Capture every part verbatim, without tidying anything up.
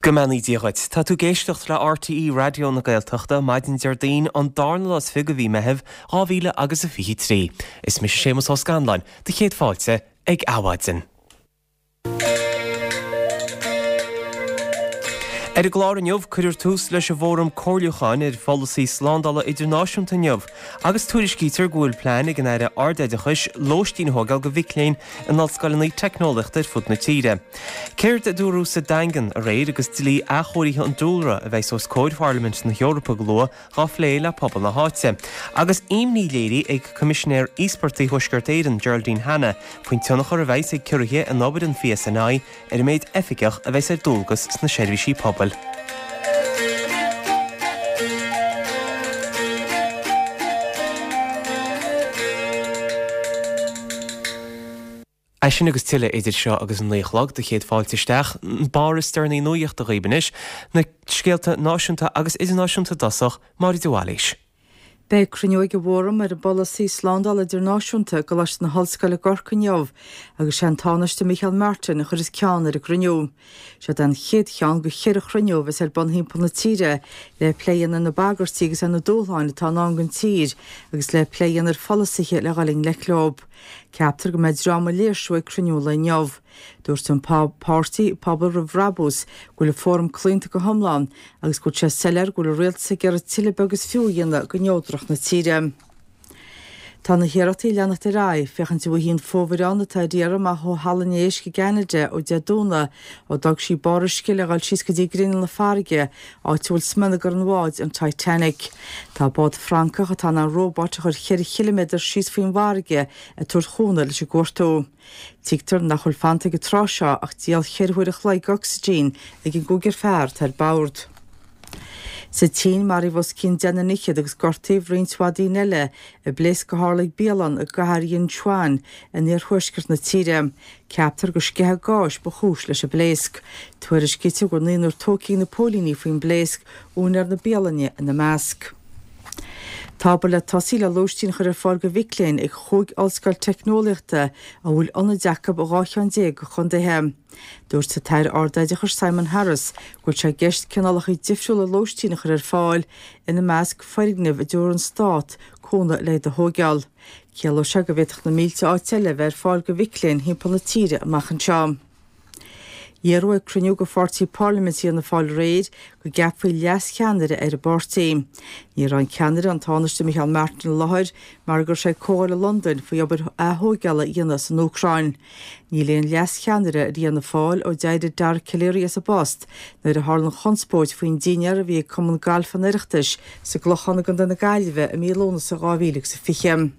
Go mbeannaí Dia dhuit. Tá tú ag éisteacht le RTÉ Raidió na Gaeltachta maidin Déardaoin an darna lá is fiche de mhí Meitheamh dhá mhíle agus a fiche trí. Is mise Séamus Ó Scanláin, do chéad fáilte ag Adhmhaidin. Ar an gclár inniu, cuirfear tús leis an bhFóram Comhairliúcháin ar Pholasaí Slándála Idirnáisiúnta inniu agus tuairiscítear go bhfuil plean ag an Aire Ardoideachais lóistín a thógáil do mhic léinn in ollscoileanna teicneolaíochta ar fud na tíre. Céard a dúradh sa Daingean aréir agus dlí athchóirithe an dúlra a bheidh os comhair Pharlaimint na hEorpa go luath dhá phlé le pobal na háite. Agus imní léirithe ag Coimisinéir Íospartaigh Thuaisceart Éireann, Geraldine Hanna, faoin tionchar a bheidh ag ciorruithe in obair an PSNI ar an méid oifigeach a bheidh ar dualgas sna seirbhísí pobail. É sin agus tuilleadh idir seo agus an naoi a chlog do chéad fáilte isteach, an barr is deireanaí nuachta dhaoibh anois, na scéalta náisiúnta agus idirnáisiúnta i dtosach, Máire de Bhailís. Beidh cruinniú ag an bhFóram ar an bPolasaí Slándála Idirnáisiúnta i gColáiste na hOllscoile i gCorcaigh inniu agus sé an Tánaiste Micheál Martin a chuirfeas ceann ar an gcruinniú. Seod é an chéad cheann de cheithre chruinniú a bheas ar bun thimpeall na tíre le plé a dhéanamh ar na bagairtí agus ar na dúshláin atá i ndán don tír agus le plé a dhéanamh ar pholasaithe le dhul i ngleic leo. Ceaptar go mbeidh dráma léirsiú ag cruinniú an lae inniu. Dúirt an páirtí Pobal Roimh Bhrabús go bhfuil an Fóram claonta go hiomlán agus go bhfuil sé soiléir go bhfuil an rialtas ag iarraidh tuilleadh beag is fiú a dhéanamh de neodracht na tíre. Tá na hiarrachtaí ag leanacht ar aghaidh féachaint an bhfaighfí an fomhuireán atá ar iarraidh amach ó Halla an Éisc i gCeanada ó Dé Domhnaigh ó d'fhág sí barr uisce le dhul síos go dtí grinneall na farraige áit a bhfuil smionagar an bháid an Titanic. Tá bád Francach atá in ann róbait a chur cheithre chiliméadar síos faoin bhfarraige ag tabhairt chúnamh leis an gcuartú. Tuigtear nach bhfuil fanta ag an tráth seo ach diall cheithre huaire a chloig d'ocsaigin ag an gcúigear fear atá ar bord. Sa tSín, maraíodh os cionn deichniúr fhichead agus gortaíodh roinnt mhaith daoine eile i bpléasc a tharla ag bialann i gcathair Yinchuan in iarthuaisceart na tíre. Ceaptar gur sceitheadh gáis ba chúis leis an bpléasc. Tuairiscítear go bhfuil naonúr tógtha ag na póilíní faoin bpléasc, úinéir na bialainne ina measc. Tá obair le tosaí le lóistín a chur ar fáil do mhic léinn ag chúig ollscoil teicneolaíochta a bhfuil ionaid acu i dhá cheann déag de chontaetha. Dúirt an tAire Ardoideachais Simon Harris go bhfuil sé i gceist cineálacha difriúla lóistín a chur ar fáil, ina measc foirgnimh a dtabharfaidh an Stát cúnamh le iad a thóigeáil. Ciallóidh sé go bhféadfadh na mílte áit eile a bheith ar fáil do mhic léinn thimpeall na tíre amach anseo. Iarradh ag cruinniú de pháirtí parlaiminte Fhianna Fáil aréir go gceapfaí leas-cheannaire ar an bpáirtí. Ní raibh an ceannaire, an Tánaiste Micheál Martin i láthair mar go raibh sé ag comhdháil i Londain faoi obair aththóigeála a dhéanamh san Úcráin. Níl aon leas-cheannaire ar Fhianna Fáil ó d'éirigh Dara Calleary as an bpost nuair a tharla an chonspóid faoin dinnéar a bhí ag Cumann Gailf an Oireachtais sa gClochán i gContae na Gaillimhe i mí Lúnasa dhá mhíle agus a fiche.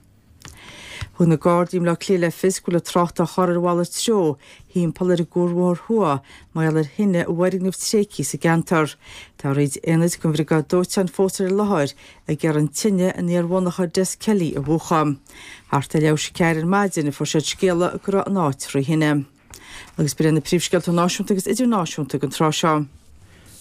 Thug na Gardaí i mBleá Cliath le fios go bhfuil an trácht á chur ar mhalairt treo thimpeall ar an gCuarbhóthar Thuaidh mar gheall ar thine i bhfoirgneamh tréigthe sa gceantar. Tá roinnt aonaid den bhriogáid dóiteáin fós ar an láthair ag iarraidh an tine in iar-mhonarcha Des Kelly a mhúchadh. Thart ar leathuair tar éis a ceathair ar maidin a fuair siad scéala go raibh an áit trí thine. Agus b'in iad na príomhscéalta náisiúnta agus idirnáisiúnta ag an tráth seo.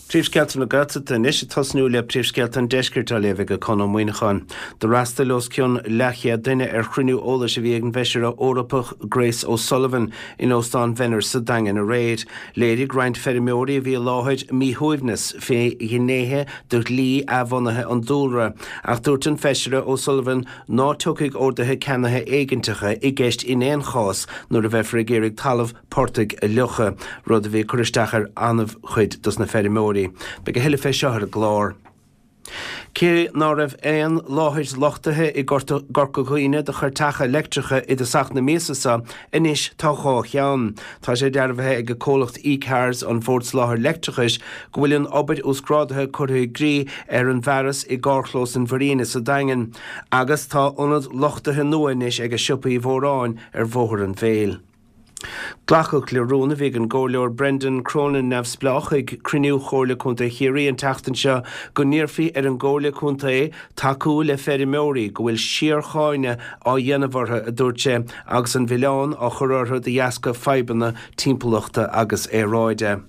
Príomhscéalta na Gaeltachta anois, ag tosnú le príomhscéalta an Deiscirt á léamh ag Conn Ó Muíneacháin. D'fhreastail os cionn leathchéad duine ar chruinniú eolais a bhí ag an bhFeisire Eorpach Grace O'Sullivan in Óstán Mhenner sa Daingean aréir. Léirigh roinnt feirmeoirí a bhí i láthair míshuaimhneas fé ghnéithe de dhlí athbhunaithe an dúlra, ach dúirt an Feisire O'Sullivan ná tiocfaidh orduithe ceannaithe éiginteacha i gceist in aon chás nuair a bheifear ag iarraidh talamh portaigh a fhliuchadh, rud a bhí ag cur isteach ar an-chuid dos na feirmeoirí. Beidh a thuilleadh fé seo ar an gclár. Cé ná raibh aon láthair luchtaithe i gCorca Dhuibhne do chairteacha leictreacha i dtosach na míosa seo, anois tá dhá cheann. Tá sé dearbhaithe ag an comhlacht E-Cars, an Bhord Soláthair Leictreachais, go bhfuil an obair uasghrádaithe curtha i gcrích ar an bhfearas i gcarrchlós an Mharina sa Daingean, agus tá ionad luchtaithe nua anois ag Siopa Uí Mhóráin ar Bhóthar an Mhéil. Glacadh le rún a bhí ag an gComhairleoir Brendan Cronin, Neamhspleách, ag cruinniú Chomhairle Contae Chiarraí an tseachtain seo go n-iarrfaí ar an gComhairle Contae tacú le feirmeoirí go bhfuil síorcháineadh á dhéanamh orthu, a dúirt sé, agus an mhilleán á chur orthu de dheasca fadhbanna timpeallachta agus aeráide.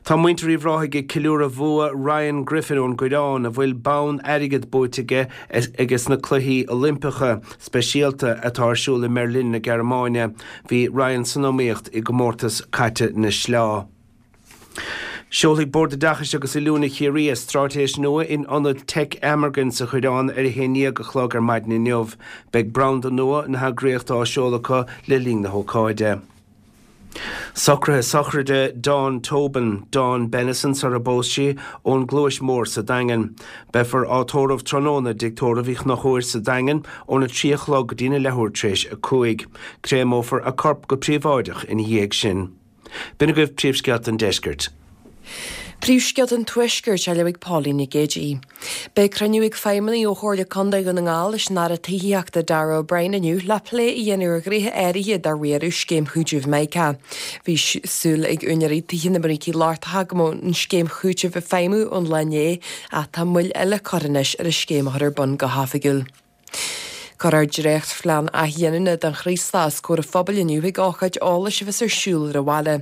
Tá muintir Uíbh Ráthaigh ag ceiliúradh bhua Ryan Griffin ón gCoireán, a bhfuil bonn airgid buaite aige aige sna Cluichí Oilimpeacha Speisialta atá ar siúl i mBeirlin na Gearmáine. Bhí Ryan san iomaíocht i gcomórtas caite na sleá. Seolfaidh Bord Oideachais agus Oiliúna Chiarraí straitéis nua in Ionad Teic Amergin sa Choireán ar a haon déag a chlog ar maidin inniu. Beidh branda nua na heagraíochta á seoladh acu le linn na hócáide. Socruithe sochraide Dawn Tobin, Dawn Bennison sar a bpós sí ón gCluais Mhór sa Daingean. Beifear á tórramh tráthnóna i dtigh tórraimh Uí Chonchúir sa Daingean óna trí a chlog go dtína leathuair tar éis a cúig. Créamófar a corp go príobháideach ina dhiaidh sin. B'in agaibh príomhscéalta an deiscirt. Príomhscéalta an Tuaiscirt á léamh ag Pauline Nic Géadaigh. Beidh cruinniú ag feidhmeannaigh ó Chomhairle Contae Dhún na nGall leis an Aire Tithíochta Darragh O'Brien inniu le plé a dhéanamh ar ghnéithe áirithe de riaradh scéim chúitimh Mica. Bhí súil ag úinéirí tithe na mBrící Lochtacha go mbeadh an scéim chúitimh ag feidhmiú ón lá inné ach tá moill eile curtha anois ar an scéim a chur ar bun go hoifigiúil. Cuirfear dréachtphlean athghiniúna don Chraoslach os comhair an phobail inniu ag ócáid eolais a bheas ar siúl ar an bhaile.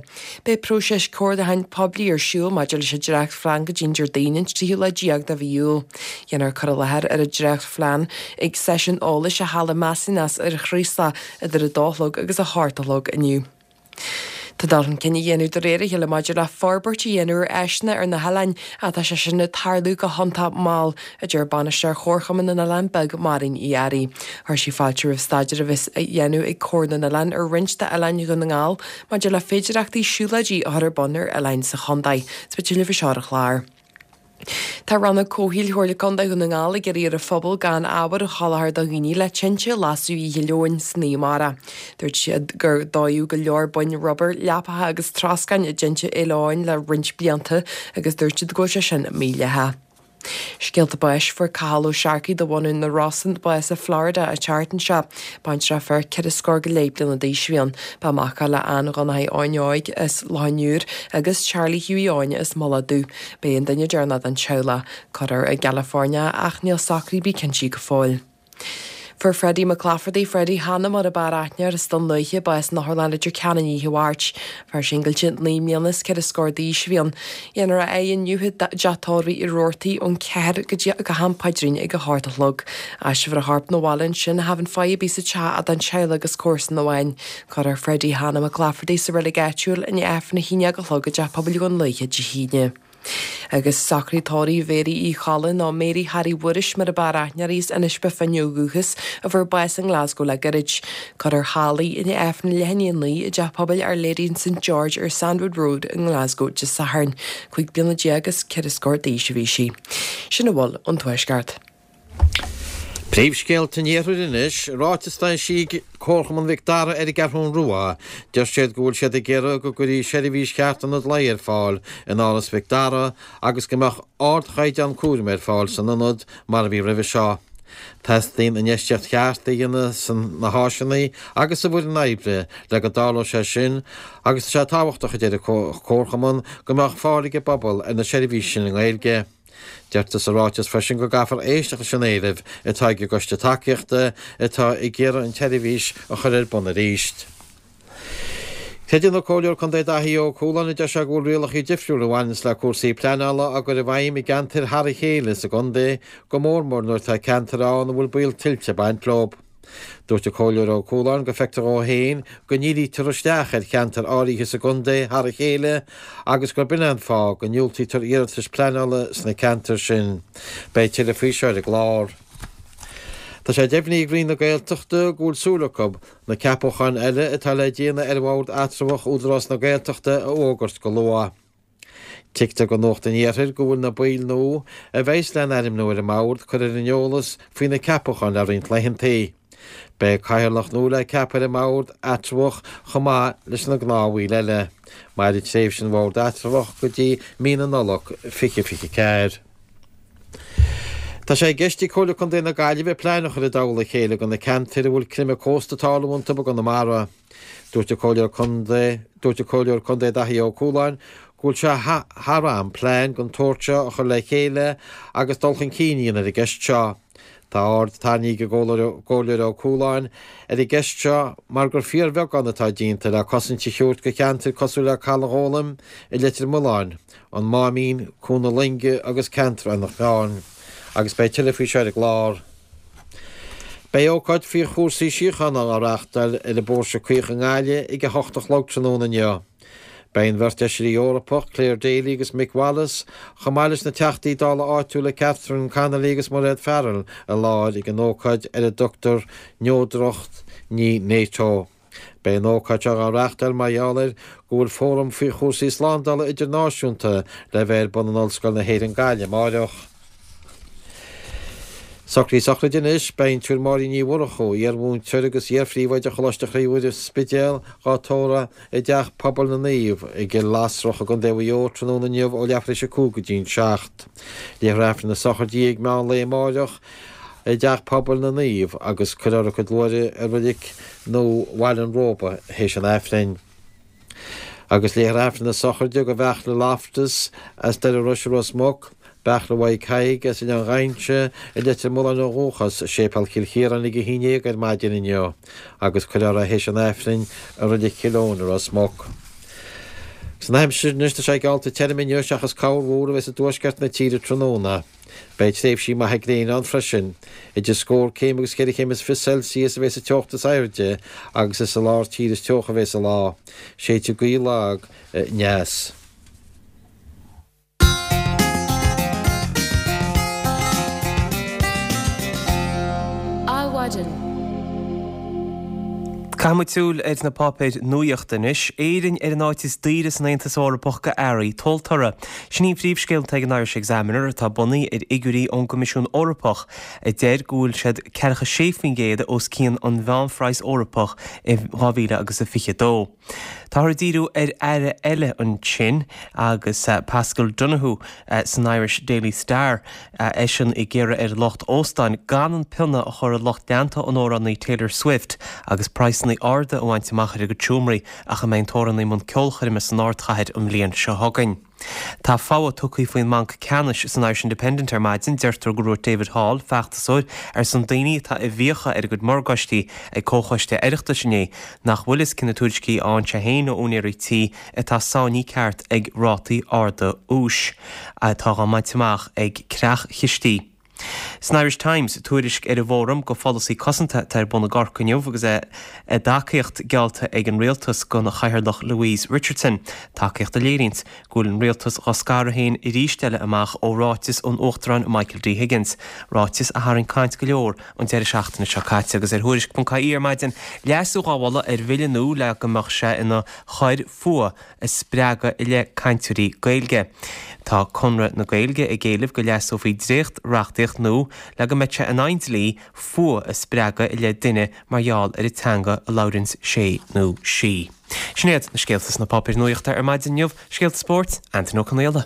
Beidh próiseas comhairliúcháin poiblí ar siúl maidir leis an dréachtphlean go dtí an Déardaoin an tríú lá déag de mhí Iúil. Dhéanfar cur i láthair ar an dréachtphlean ag seisiún eolais i Halla Massinas ar an Chraoslach idir a dó a chlog agus a hocht a chlog inniu. Tá dul chun cinn á dhéanamh de réir a chéile maidir le forbairt a dhéanamh ar áiseanna ar na hoileáin ach tá sé sin ag tarlú go hiontach mall, a deir bainisteoir Chomharchumann na nOileán Beag, Máirín Uí Fhearraigh. Chuir sí fáilte roimh staidéar a bheas á dhéanamh ag Comhar na nOileán ar roinnt d'oileáin Dhún na nGall maidir le féidearthachtaí siúlóidí a chur ar bun ar oileáin sa chontae. Is beidh tuilleadh faoi seo ar an chlár. Tá Rannóg Comhshaoil Chomhairle Contae Dhún na nGall ag iarraidh ar an phobal gan ábhar a sholáthar do dhaoine le tinte a lasadh oíche Luain san oíche amárach. Dúirt siad gur dódh go leor boinn rubair, leapacha agus troscáin i dtinte Fhéile Eoin le roinnt blianta agus dúirt siad go bhfuil sé sin mídhleathach. Scéalta báis fuair Cathal Ó Searcaigh de bhunadh na Rosann bás i Florida an tseachtain seo. Baintreach fear ceithre scór go leith bliana d'aois a bhí ann. Ba mhac é le Ann Dhonnchaidh Eoin Óig as Loch an Iúir agus Charlie Hughie Eoin as Mullach Dubh. B'é an duine deireanach den teaghlach. Cuirfear i gCalifornia ach níl socruithe ar bith cinntithe go fóill. Fuair Freddie McClafferty, Freddie Hanna mar ab fhearr aithne air as Dún Lúiche, bás in Otharlann Leitir Ceanainn oíche Mháirt. Fear singilte naoi mbliana is ceithre scór d'aois a bhí ann. Dhéanfar a adhradh inniu i dteach tórraimh Uí Robhartaigh ón ceathair go dtí go ham paidrín ag a hocht a chlog. Aistreofar a chorp 'na bhaile ansin cha bheidh fáidh ar bith sa teach ach don teaghlach agus comharsan amháin. Cuirfear Freddie Hanna McClafferty sa reilig áitiúil i ndiaidh Aifreann a haon déag a chlog i dteach pobail Dhún Lúiche Dé hAoine. Agus socruithe tórraimh Mhéirí Uí Cholla nó Mary Harry Mhuiris mar ab fhearr aithne uirthi as Inis Bó Finne ó dhúchas a fuair bás i nGlasgow le gairid. Cuirfear thall í i ndiaidh Aifreann leath i ndiaidh a naoi i dteach pobail Our Lady and St George ar Sandwood Road i nGlasgow Dé Sathairn. Cúig bliana déag is ceithre scór d'aois a bhí sí. Sin a bhfuil ón Tuaisceart. Príomhscéalta an Iarthair anois, ráiteas a d'eisigh Comharchumann Mhic Dara ar an gCeathrú Rua. Deir siad go bhfuil siad ag iarraidh go gcuirfí seirbhís cheart ionad lae ar fáil in Áras Mhic Dara agus go mbeadh ardchaighdeán cúraim ar fáil san ionad mar a bhí roimhe seo. Teastaíonn infheistíocht cheart a dhéanamh sna háiseanna agus sa bhfoireann oibre le go dtarlódh sé sin agus tá sé tábhachtach, a deir an Comharchumann, go mbeadh fáil ag an bpobal ar na seirbhísí sin i nGaeilge. Deirtear sa ráiteas freisin go gcaithfear éisteacht leis an éileamh atá ag an gcoiste tacaíochta atá ag iarraidh an tseirbhís a chur ar bun arís. Creideann an Comhairleoir Contae Daithí Ó Cualáin a deir sé go bhfuil rialacha difriúla a bhaineanns le cúrsaí pleanála á gcur i bhfeidhm i gceantair thar a chéile sa gcontae, go mór mór nuair atá ceantair ann a bhfuil baol tuilte ag baint leo. Dúirt an Comhairleoir Ó Cualáin go bhfeictear dhó féin go ndírítear isteach ar cheantair áirithe sa gcontae thar a chéile agus gurb in é an fáth go ndiúltaítear iarratais pleanála sna ceantair sin. Beidh tuilleadh faoi seo ar an gclár. Tá sé deimhnithe ag Roinn na Gaeltachta go bhfuil súil acu na ceapacháin eile atá le déanamh ar Bhord Eatramhach Údarás na Gaeltachta a fhógairt go luath. Tuigtear do Nuacht an Iarthair go bhfuil na baill nua a bheas le n-ainmniú ar an mbord curtha ar an eolas faoi na ceapacháin le roinnt laethanta. Beidh cathaoirleach nua le ceapadh ar an mbord eatramhach chomh maith leis na gnáthbhaill eile. Mairfidh tréimhse an bhoird eatramhach go dtí mí na Nollag fiche fiche ceathair. Tá sé i gceist ag Comhairle Contae na Gaillimhe plean a chur i dtoll a chéile do na ceantair a bhfuil creimeadh cósta ag tarlú iontu i gConamara. Dúirt an Comhairleoir Contae Dúirt an Comhairleoir Contae Daithí Ó Cualáin go bhfuil sé thar am plean den tsórt seo a chur le chéile agus dul chun cinn a dhéanamh ar an gceist seo. Tá aird tarraingthe ag an gComhairleoir Ó Cualáin ar an gceist seo mar gur fíorbheagán atá déanta le cosaint a thabhairt do cheantair cosúil le Caladh Ghólaim i Leitir Mealláin, an Máimín, Cuan na Loinge agus ceantar Eanach Mheáin. Agus beidh tuilleadh faoi seo ar an gclár. Beidh ócáid faoi chúrsaí síochána á reáchtáil ar an bPóirse Caoch i nGaillimh ag a hocht a chlog tráthnóna inniu. Beidh an bheirt Fheisirí Eorpach, Clare Daly agus Mick Wallace, chomh maith leis na Teachtaí Dála áitiúla Catherine Connolly agus Mairéad Farrell i láthair ag an ócáid ar a dtugtar Neodracht Ní NATO. Beidh an ócáid seo á reáchtáil mar gheall ar go bhfuil fóram faoi chúrsaí slándála idirnáisiúnta le bheith ar bun in Ollscoil na hÉireann Gaillimh amáireach. Socruithe sochraide anois, beidh an tSiúr Máirín Ní Mhurchú, iar-mhúinteoir agus iar-phríomhoide Choláiste Chroí Mhuire Spidéal, dhá tórramh i dTeach Pobail na Naomh i gCill Lasrach i gContae Mhaigh Eo tráthnóna inniu ó leathuair tar éis a cúig go dtí'n seacht. Léifear Aifreann na sochraide di ag meán lae amáireach i dTeach Pobail na Naomh agus cuirfear a cuid luaithre i Reilig Nua Bhaile an Róba théis an Aifrinn. Agus léifear Aifreann na sochraide do Bheartla Loftus as Doire Rois i Ros Muc, Beartla Mhaidhc Thaidhg as Oileán Ghainse i Leitir Mealláin ó dhúchas, i Séipéal Chill Chiaráin ag a haon déag ar maidin inniu, agus cuirfear é théis an Aifrinn i Reilig Chill Eoin i Ros Muc. Agus an aimsir anois, tá sé geallta tirim inniu seachas corrmhúr a bheas i dtuaisceart na tíre tráthnóna. Beidh tréimhsí maithe gréine ann freisin. Idir scór céim agus ceithre chéim is fiche Celsius a bheas an teocht is airde agus is i lár tíre is teocha a bheas an lá. Séidfidh gaoth lag aneas. Adhmhaidin. Caithfidh muid súil ar na páipéir nuachta anois. Éirinn ar an áit is daoire san Aontas Eorpach go earraí tomhaltóra. Sin í an phríomhscéal atá ag an Irish Examiner, atá bunaithe ar fhigiúirí ón gCoimisiún Eorpach, a deir go bhfuil siad ceathracha sé faoin gcéad os cionn an mheánphraghas Eorpach i dhá mhíle agus a fiche dó. Táthar ag díriú ar aire eile ansin agus Paschal Donohoe san Irish Daily Star, eisean ag iarraidh ar lucht óstáin gan an pionna a chur ar lucht leanta an amhránaí Taylor Swift agus praghsanna arda a bhaint amach ar a gcuid seomraí ach a mbeidh an t-amhránaí i mbun ceolchoirme san ardchathair an bhliain seo chugainn. Tá fogha tugtha faoin mBanc Ceannais san Irish Independent ar maidin. Deirtear go ndúirt David Hall, feachtasóir ar son daoine atá i bhfiacha ar a gcuid morgáistí ag Comhchoiste Oireachtais inné, nach bhfuil fhios cé na tuairiscí a fhaigheann sé féin ó úinéirí tí atá sáinnithe ceart ag rátaí arda úis atá á mbaint amach ag creach-chistí. San Irish Times, tuairisc ar an bhfóram go pholasaí cosanta atá ar bun i gCorcaigh inniu agus a dtacaíocht geallta ag an rialtas don Chathaoirleach Louise Richardson, tacaíocht a léiríonns go bhfuil an rialtas dhá scaradh féin arís eile amach ó ráiteas ón Uachtarán Michael D Higgins, ráiteas a tharraing caint go leor an deireadh seachtaine seo caite. Agus ar Thuairisc ponc ie ar maidin, leasú dhá mholadh ar bhille nua le go mbeadh sé ina choir fuath a spreagadh i leith cainteoirí Gaeilge. Tá Conradh na Gaeilge ag éileamh go leasófaí dréacht-reachtaíocht nua le go mbeadh sé in aghaidh an dlí fuath a spreagadh i leith duine mar gheall ar an teanga a labhraíonns sé nó sí. Sin iad na scéalta sna páipéir nuachta ar maidin inniu. Scéalta spóirt, Antain Ó Conaola.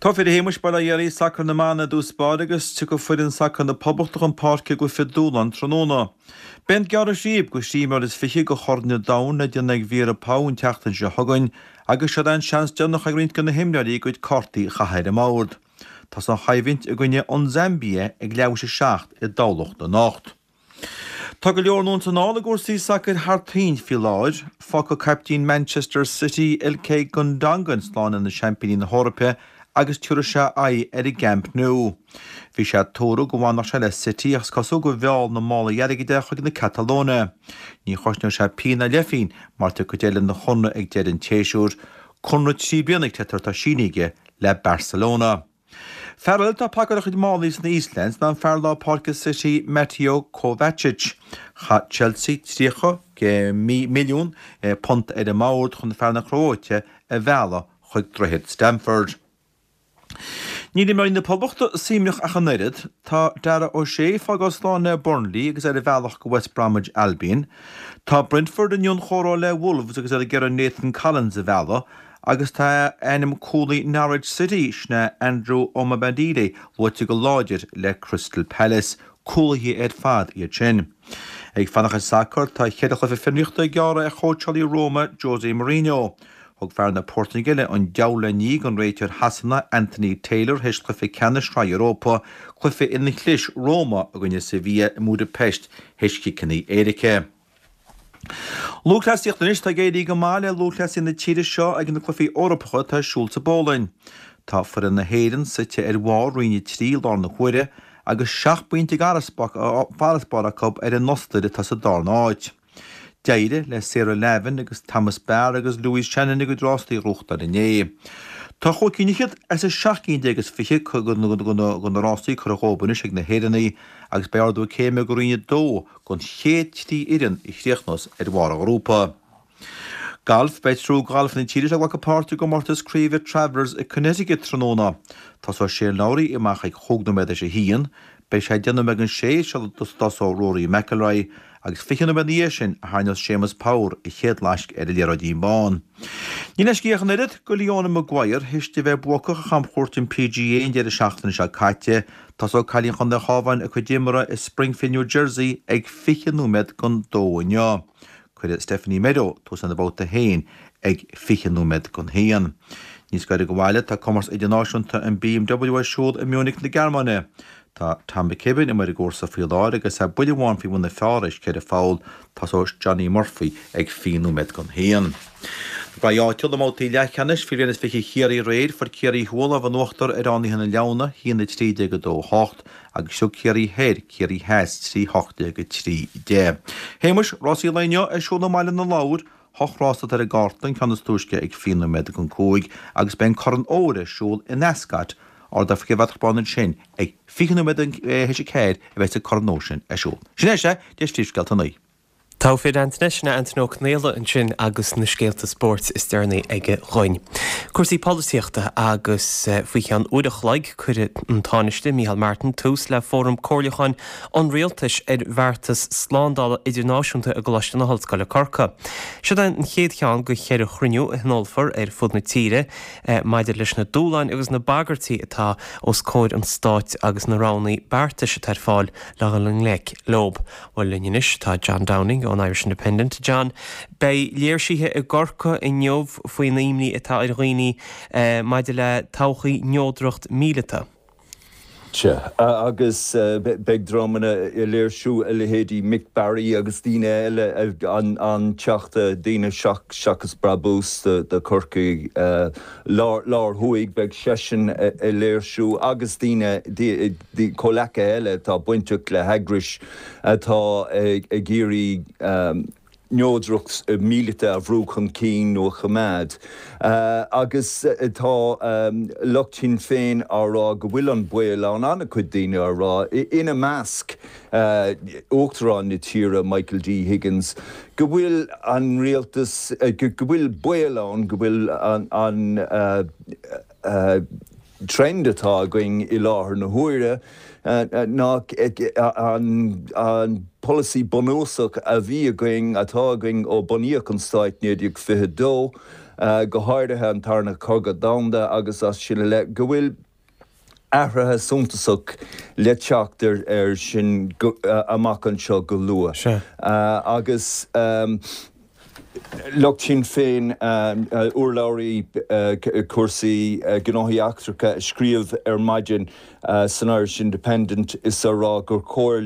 Tá a Shéamuis, bail ó Dhia ort, sacar na mban i dtús báire agus tiocfaidh foireann sacair na Poblachta chun páirce i gcluiche dúshláin tráthnóna. Beidh an gearradh síob go thrí imreoir is fiche do Chorn an Domhain le déanamh ag Vera Pauw an tseachtain seo chugainn agus seo é an seans deireanach ag roinnt de na himreoirí a gcuid cártaí a chaitheamh ar an mbord. Tá an choimhlint i gcoinne an Zambia ag leathuair théis a seacht i dTamhlacht anocht. Tá go leor anonn 's anall i gcúrsaí sacair thar toinn faoi láthair. Fágfaidh caiptín Manchester City, Ilkay Gundogan slán lena seaimpíní na hEorpa agus tabharfaidh sé aghaidh ar an gCamp Nou. Bhí sé tuartha go bhfanfadh sé le City ach is cosúil gur mheall na málaí airgid é chuig na Catalóine. Ní chosnóidh sé pingin ná leathphingin mar tiocfaidh deireadh lena chonradh ag deireadh an tséasúir. Conradh trí bliana atá sínithe aige le Barcelona. Fear eile atá ag pacáil a chuid málaí sna Eastlands ná an fear lár páirce City Mateo Kovacic. Chaith Chelsea tríocha milliún punt ar an mbord chun fear na Cróite a mhealladh chuig Droichead Stamford. Níl imreoirí na Poblachta suaimhneach ach an oiread. Tá Dara O'Shea fágáil slán le Burnley agus ar a bhealach go West Bromwich Albion. Tá Brentford i ndianchomhrá le Wolves agus iad ag iarraidh Nathan Collins a mhealladh agus tá ainm cúlaí Norwich City, sin é Andrew Omobamidele, luaite go láidir le Crystal Palace. Cúlaithe ar fad iad sin. Ag fanacht ar sacar, tá ceithre chluiche fionraíochta gearrtha ar chóitseálaí Roma, Jose Mourinho. Thug fear na Portaingéile an deabhal le ní don réiteoir Shasana, Anthony Taylor, théis chluiche ceannais Shraith Europa, cluiche ina chlis Roma i gcoinne Sevilla i mBúdaipeist théis chiceanna éirice. Lúthchleasaíocht Anois tá ag éirí go maith le lúthchleasaithe na tíre seo ag na Cluichí Eorpacha atá ar siúl sa bPólainn. Tá foireann na hÉireann suite ar bharr Roinn a trí i láthair na huaire agus seacht bpointe d'fharasbarr acu ar an Ostair atá sa darna háit. D'éirigh le Sarah Lavin agus Thomas Barr agus Louise Shannon a gcuid rástaí a ghnóthachtáil inné. Tá chúig cinn fhichead as an seacht gcinn déag is fiche de na rástaí curtha dhóibh anois ag na hÉireannaigh agus beidh ardú céime go Roinn a dó don chéad trí fhoireann a chríochnós ar bharr an ghrúpa. Galf, Beidh triúr galfaithe na tíre seo ag glacadh páirt i gcomórtas craoibhe Travelers i Connecticut tráthnóna. Tosóidh Shane Lowry amach ag chúig nóiméad théis a haon. Beidh sé deich nóiméad don sé sula dtosóidh Rory McIlroy agus fiche nóiméad ina dhiaidh sin a tharraingeos Séamus Power a chéad laisc ar an liathróidín bán. Níl leisce ach an oiread do Leona Maguire théis di bheith buacach ar chamchuairt an PGA an deireadh seachtaine seo caite. Tosóidh cailín Chontae an Chabháin a cuid imeartha i Springfield, New Jersey ag fiche nóiméad don dó inniu. Cuirfidh Stephanie Meadow tús lena babhta féin ag fiche nóiméad don haon. Níos gaire do bhaile, tá Comórtas Idirnáisiúnta an BMW ar siúl i Munich na Gearmáine. Tá Tom McKibbin amuigh ar an gcúrsa faoi láthair agus é buille amháin faoi bhun na phar théis ceithre pholl. Tosóidh Johnny Murphy ag fiche nóiméad don haon. Na braighde áitiúla i mbabhtaí leathcheannais faoi bhliain is fiche Chiarraí aréir, fuair Ciarraí Thuaidh lámh in uachtar ar Fhánaithe na Leamhna, a haon a trí déag a dó a hocht, agus thug Ciarraí Thoir Ciarraí Theas trí a hocht déag a trí deich. Shéamais, rásaí an lae inniu ar siúl i mBaile na Lobhar, hocht rás atá ar an gcárta, an ceann is túisce ag fiche nóiméad don cúig, agus beidh an Corn Óir ar siúl in Ascot, Ardach Faoi Bheatach Bán ansin ag fiche nóiméad théis a ceathair a bheas an Corn Óir sin ar siúl. Sin é sea, deis príomhscéalta an lae. Togha fir Antaine, sin é Antaine Ó Conghaile ansin agus na scéalta spóirt is deireanaí aige dhúinn. Cúrsaí polaitíochta agus faoi cheann uair a chloig cuirfidh an Tánaiste Micheál Martin tús le fóram comhairliúcháin an Rialtais ar bheartas slándála idirnáisiúnta i gColáiste na hOllscoile Corcaigh. Seo é an chéad cheann de cheithre chruinniú a thionólfar ar fud na tíre maidir leis na dúshláin agus na bagairtí atá os comhair an stáit agus na roghanna beartais atá ar fáil le dhul i ngleic leo. Bhuel linn anois tá John Downing ón Irish Independent. John, beidh léirsithe i gCorcaigh inniu faoin imní atá ar dhaoine maidir le todhchaí neodracht míleata. Sea, agus beidh dreamanna ag léirsiú, a leithéidí Mick Barry agus daoine eile, an Teachta Daoine Seachas Brabús do Chorcaigh Láir Thuaidh, beidh seisean ag léirsiú agus daoine, comhleacaithe eile atá bainteach le heagrais atá ag iarraidh neodracht míleata a bhrú chun cinn nó a choimeád. Agus tá lucht Shinn Féin á rá go bhfuil an baol ann, an-chuid daoine á rá, ina measc Uachtarán na tíre Michael D Higgins, go bhfuil an rialtas, go bhfuil baol ann go bhfuil an trend atá againn i láthair na huaire ná an polasaí bunúsach a bhí againn, atá againn ó bunaíodh an stáit naoi déag fiche a dó, go háirithe an Tarna Cogadh Domhanda agus as sin i leith, go bhfuil athruithe suntasach le teacht air sin amach anseo go luath. Agus. Lucht Shinn Féin, urlabhraí cúrsaí gnóthaí eachtracha a scríobh ar maidin san Irish Independent is á rá gur chóir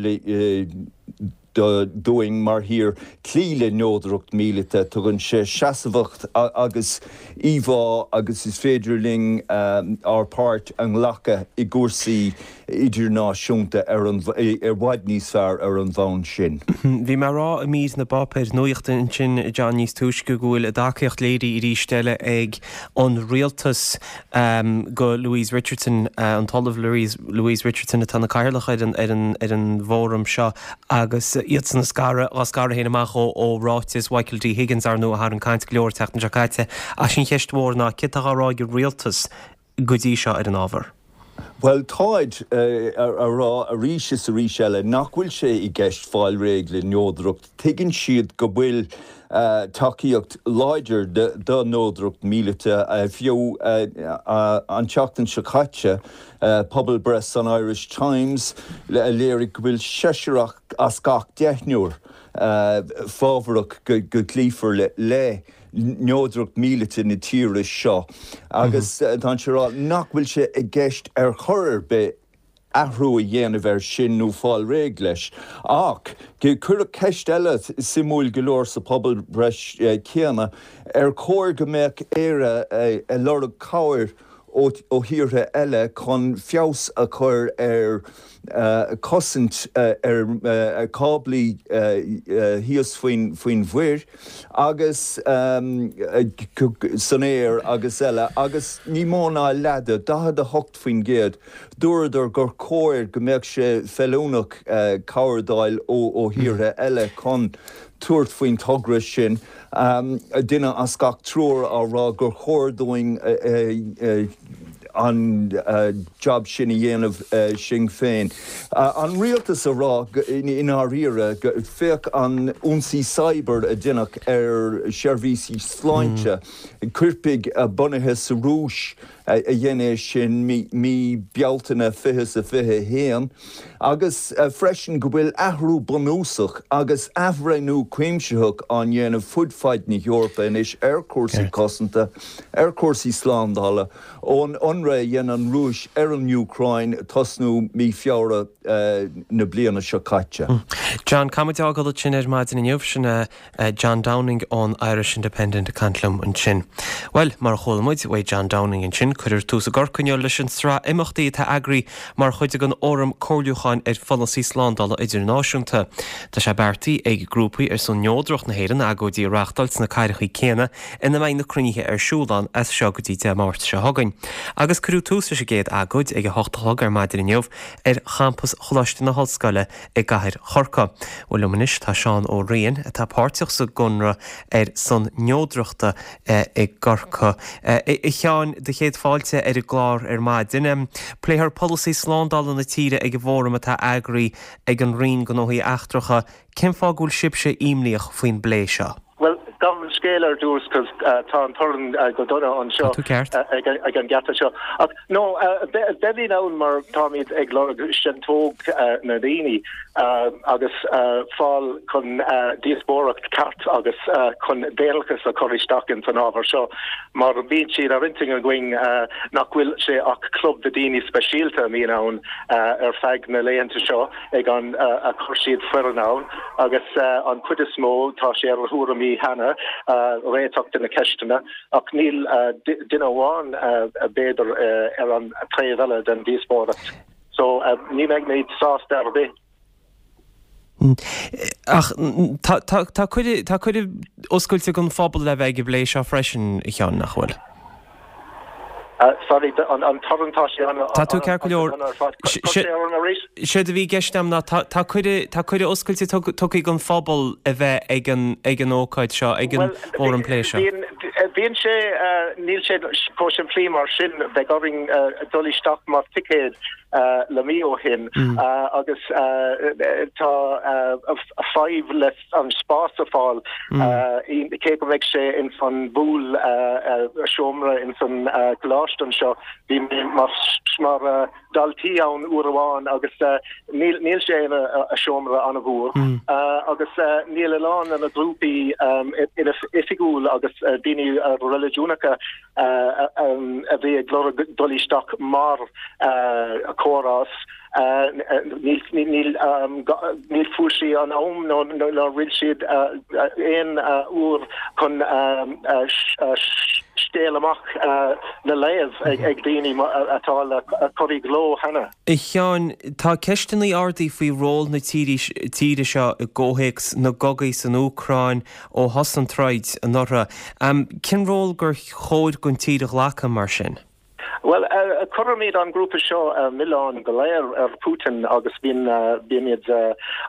dúinn mar thír cloí le neodracht míleata. Tugann sé seasmhacht agus íomhá agus is féidir linn ár páirt a nglacadh i gcúrsaí idirnáisiúnta ar an i bhfad níos fearr ar an bhonn sin. Bhí mé ag rá i mír na bpáipéar nuachta ansin, John, níos túisce go bhfuil a dtacaíocht léirithe arís eile ag an rialtas go Louise Richardson, an tOllamh Louise Richardson atá ina cathaoirleach ar an ar an ar an bhfóram seo agus iadsan ag scaradh á scaradh féin amach ó ó ráiteas Mhichael D Higgins, ar ndóigh, a tharraing caint go leor an tseachtain seo caite. Ach sin cheist mhór ná céard atá á rá ag an rialtas go dtí seo ar an ábhar? Bhuel, táid a rá arís is arís eile nach bhfuil sé i gceist fáil réidh le neodracht. Tuigeann siad go bhfuil tacaíocht láidir do neodracht míleata. Fiú an tseachtain seo caite, pobalbhreith san Irish Times a léirigh go bhfuil seisear as gach deichniúr fábharach go gcloífear le neodracht míleata na tíre seo agus tá siad a rá nach bhfuil sé i gceist ar chor ar bith athrú a dhéanamh air sin nó fáil réidh leis. Ach cuireadh ceist eile suimiúil go leor sa phobalbhreith chéanna, ar chóir go mbeadh Éire ag lorg cabhair ó thíortha eile chun feabhas a chur ar chosaint ar cáblaí thíos faoin mhuir agus san aer agus eile agus ní mó ná leath de, daichead a hocht faoin gcéad, dúradar gur chóir go mbeadh sé feiliúnach cabhair d'fháil ó thíortha eile chun tabhairt faoin togra sin, duine as gach triúr á rá gur chóir dúinn an jab sin a dhéanamh sinn féin. An rialtas a rá i ndáiríre, féach an ionsaí cyber a deineadh ar sheirbhísí sláinte, coirpigh bunaithe sa Rúis a dhein é sin mí Bealtaine fiche is a fiche a haon, agus freisin go bhfuil athrú bunúsach agus athbhreithniú cuimsitheach á ndéanamh fud fad na hEorpa anois ar chúrsaí cosanta, ar chúrsaí slándála, ón ionradh a dhein an Rúis ar an Úcráin tosnú mí Feabhra na bliana seo caite. John, caithfidh muid a fhágáil ansin ar maidin inniu, sin John Downing ón Irish Independent ag caint liom ansin. Bhuel, mar a chuala muid uaidh John Downing ansin, cuirfear tús i gCorcaigh inniu leis an sraith imeachtaí atá eagraithe mar chuid den Fhóram Comhairliúcháin ar Pholasaí Slándála Idirnáisiúnta. Tá sé beartaithe ag grúpaí ar son neodracht na hÉireann agóidí a reáchtáil sna cathracha céanna ina mbeidh na cruinnithe ar siúl ann as seo go dtí Dé Máirt seo chugainn. Agus cuireadh tús leis an gcéad agóid ag a hocht a chlog ar maidin inniu ar champas Choláiste na hOllscoile i gcathair Chorcaí. Bhuel liom anois tá Seán Ó Riain atá páirteach sa gConradh ar son Neodrachta i gCorcaigh. A Sheáin, do chéad fáilte ar an gclár ar maidin. Pléifear polasaí slándála na tíre ag an bhfóram atá eagraithe ag an Roinn Gnóthaí Eachtracha. Cén fáth go bhfuil sibhse imníoch faoin bplé seo? Bhuel, gabh mo leithscéal ar dtús cos tá an torann go dona anseo ag an geata seo. Ach no, beimid ann mar táimid ag lorg seantóg na ndaoine agus fáil chun díospóireacht ceart agus chun daonlathas a chur isteach ins an ábhar seo mar bíonn siad ar intinn againn nach bhfuil sé ach club de daoine speisialta a mbíonn ann ar feadh na laethanta seo ag an a chuir siad foireann ann agus an chuid is mó tá sé ar thuairimí cheana réiteach de na ceisteanna ach níl duine amháin b'fhéidir ar an taobh eile den díospóireacht so ní bheimid sásta ar bith. Ach tá cuireadh oscailte don phobal le bheith ag an bplé seo freisin, a Sheáin, nach bhfuil? Sorry, an torann tá sé an Tá tú ceart go leor. Séard a bhí i gceist agam ná tá cuireadh tá cuireadh oscailte tugtha don phobal a bheith ag an ag an ócáid seo, ag an bhfóram plé seo. Bíonn bíonn sé níl sé chomh simplí mar sin, beidh orainn dul isteach mar ticéad le mí ó shin agus tá fadhb le an spás a fáil cé go mbeidh sé ins an bpool seomra ins an coláiste anseo. Bhí mé mar daltaí ann uair amháin agus níl níl sé ina seomra an-mhór agus níl a lán de na grúpaí ina oifigiúil agus daoine reiligiúnacha a bhí ag lorg dul isteach mar chomhrás. Níl níl fuair siad an am nó nó rinne siad aon uair chun scéal amach le léamh ag daoine atá le cur i gcló cheana. A Sheáin, tá ceisteanna ardaithe faoi ról na tíre seo i gcomhthéacs na gcogaí san Úcráin ó thosaigh an troid anuraidh. Cén ról gur chóir don tír a ghlacadh mar sin? Bhuel, cuirimid an grúpa seo milleán go léir ar Putin agus bíonn bímid